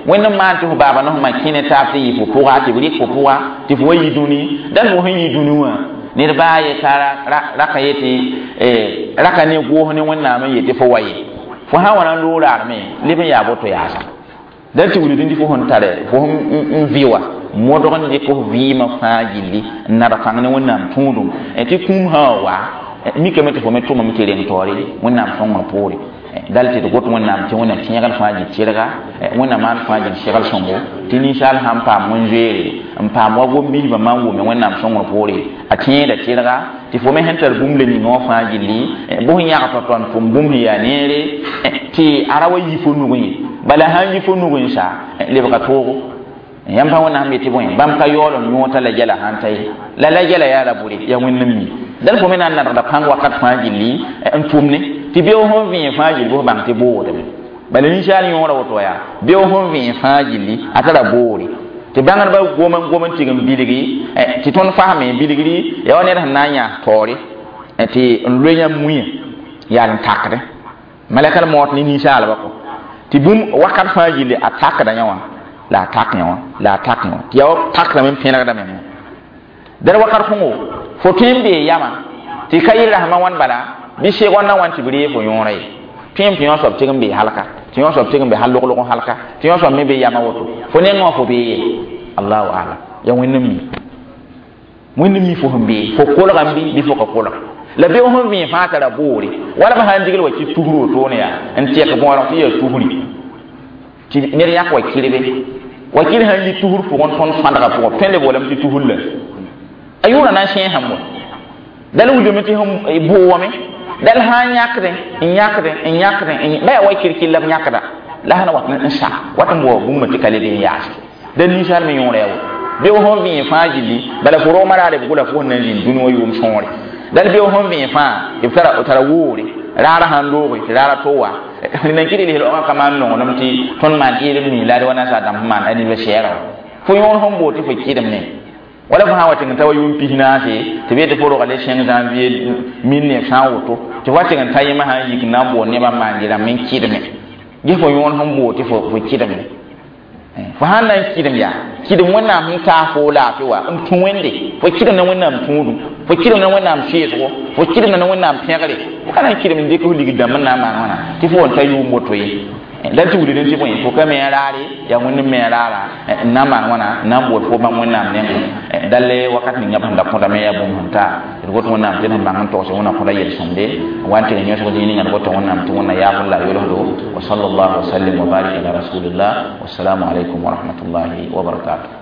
wẽnd n maan tɩ fo baaba ne fo ma kẽ ne taab tɩ yɩ fo pʋga tɩ b rɩk fo pʋga tɩ fo wa yi dũni dal fo sẽn yi dũni wã ned baa ye ka raka yetɩ raka ne goos ne wẽnnaam n yetɩ fo wa ye fo sã n wa na n loog raarme leb n yaa boto yaasa dal tɩ wilg tɩ fo sẽn tare fo sẽn vɩ wa modg n dɩk f vɩɩmã fãa gilli n nad kãng ne wẽnnaam tũudum tɩ kũum sã wa mikame tɩ fo me tʋmame tɩ reng taoore wẽnnaam sõngr poore dal tɩ d got wẽnnaam tɩ wẽnnaam tẽegl fãa gil tɩrga wẽnnaam maan fãa gil segl sõngo tɩ ninsaal sãn paam wẽn-zoeere n paam wa gom-biisbã maan wʋme wẽnnaam sõngr poore a tẽeda tɩrga tɩ fo me sẽn tar bũmb le ninga wã fãa gilli bʋs yãg tɔ-tɔ n tʋm bũmb sẽn yaa neere tɩ a ra wa yi fo nugẽ ye bala sãn yi fo nugẽ sa lebga toogo yãmb pa wẽnnaam yetɩ bõe bãmb ka yaool n yõota la gɛla sãn ta ye la la gɛla yaa la bʋre yaa wẽnd n mi dal fo me na n nadgda pãng wakat fãa gilli n tʋmne tɩ beo sẽn vẽe fãa gilli bʋs bãng tɩ boodame bala ninsaal yõora woto yaa beo sẽn vẽe fãa gilli a tara boore tɩ bãngdbã gom n gom n tɩg n bilgi tɩ tõnd fasme bilgri yaa wa ned sẽn na n yãas taoore tɩ n loe yãmb mũyã yaa n takdẽ malɛka moot ne ninsaalbã kɔ tɩ bũmb wakat fãa gilli a takda yã wã la a tak yã wã la a tak yã wã tɩ yaa wa takdame n pẽlgdame dad wakat kõngo fo tõe n bee yama tɩ ka yɩ rasmã wãn bala bɩ segõ na wãn tɩ b ree fo yõora ye tõe n tɩ yõ soab tɩg n bee halka tɩ yõ soab tɩg n be hal log-log n halka tɩ yõ soab me be yama woto fo nengẽ wã fo bee ye allahu alam yaa wẽnd n mi wẽnd n mi fo sẽn bee fo kolgame bɩ bɩ fo ka kolg la beo sẽn vẽe fãa tara boore wala b sã n digl wa tɩ tusr wotone yaa n tɛk bõorg tɩ yaa tusri tɩ ned yãk wa kirbe wa kir sãn yi tusr pʋgẽ tõnd sãdga pʋgẽ tõe n le boolame tɩ tusr la a yʋʋra na n sẽesame wa dal wilgame tɩ sẽn boowame dal sã n yãkdẽ n yãkdẽ n yãkdẽ ba yaa wa kirkir la b yãkda la sãn wat n sa wat n bao bũmba tɩ ka le be n yaase dal ninsaal me yõora yaa woto beo sẽn vẽe fãa gilli bala fo rogmã raare b gʋla fo sẽn na n zĩnd dũni wã yʋʋm sõore dal beo sẽn vẽe fãa b tara tara woore raara sãn looge tɩ raara to wa nan kɩ rel rogã ka maan nonglem tɩ tõnd maan ɩɩdem nii la d wa nasaar dãmb sẽn maan anniversaire wã fo yõor sẽn boot tɩ fo kɩdem ne wala fo sã n wa tɩg n ta wa yʋʋm pis naase tɩ b yetɩ fo roga le cinq janvier mille neuf cent woto tɩ fo wa tɩg n ta yẽmã sã n yik n na n boond nebã n maan yɩrãmb n kɩdme ges fo yõor sẽn boot tɩ fo kɩdem ne fo sãn na n kɩdem yaa kɩdem wẽnnaam sẽn taas fo laafɩ wa n tũ wẽnde fo kɩdem ne wẽnnaam tũudum fo kɩdem ne wẽnnaam sɩɩsgo fo kɩdem ne wẽnnaam pẽgre fo ka na n kɩdem n dɩk f ligd dãmb n na n maan wãna tɩ fo n ta yʋʋm woto ye dal tɩ wilg tɩ bõe fo ka me a raare yaa wẽnd n me a raara n na n maan wãna n na n bool fo bãmb wẽnnaam nengẽ dal wakat ninga b sẽn da kõdame yaa bũmb sẽn ta d got wẽnnaam tɩ d sẽn bãng n togse wẽnna kõda yel-sõmde wa n tɩg n yõsg zĩig ninga d gota wẽnnaam tɩ wẽnna yaafr la a yolsdo wa sallallahu wa sallim wa barik ala rasulillah wassalamu alaikum wa rahmatullahi wa barakatuh.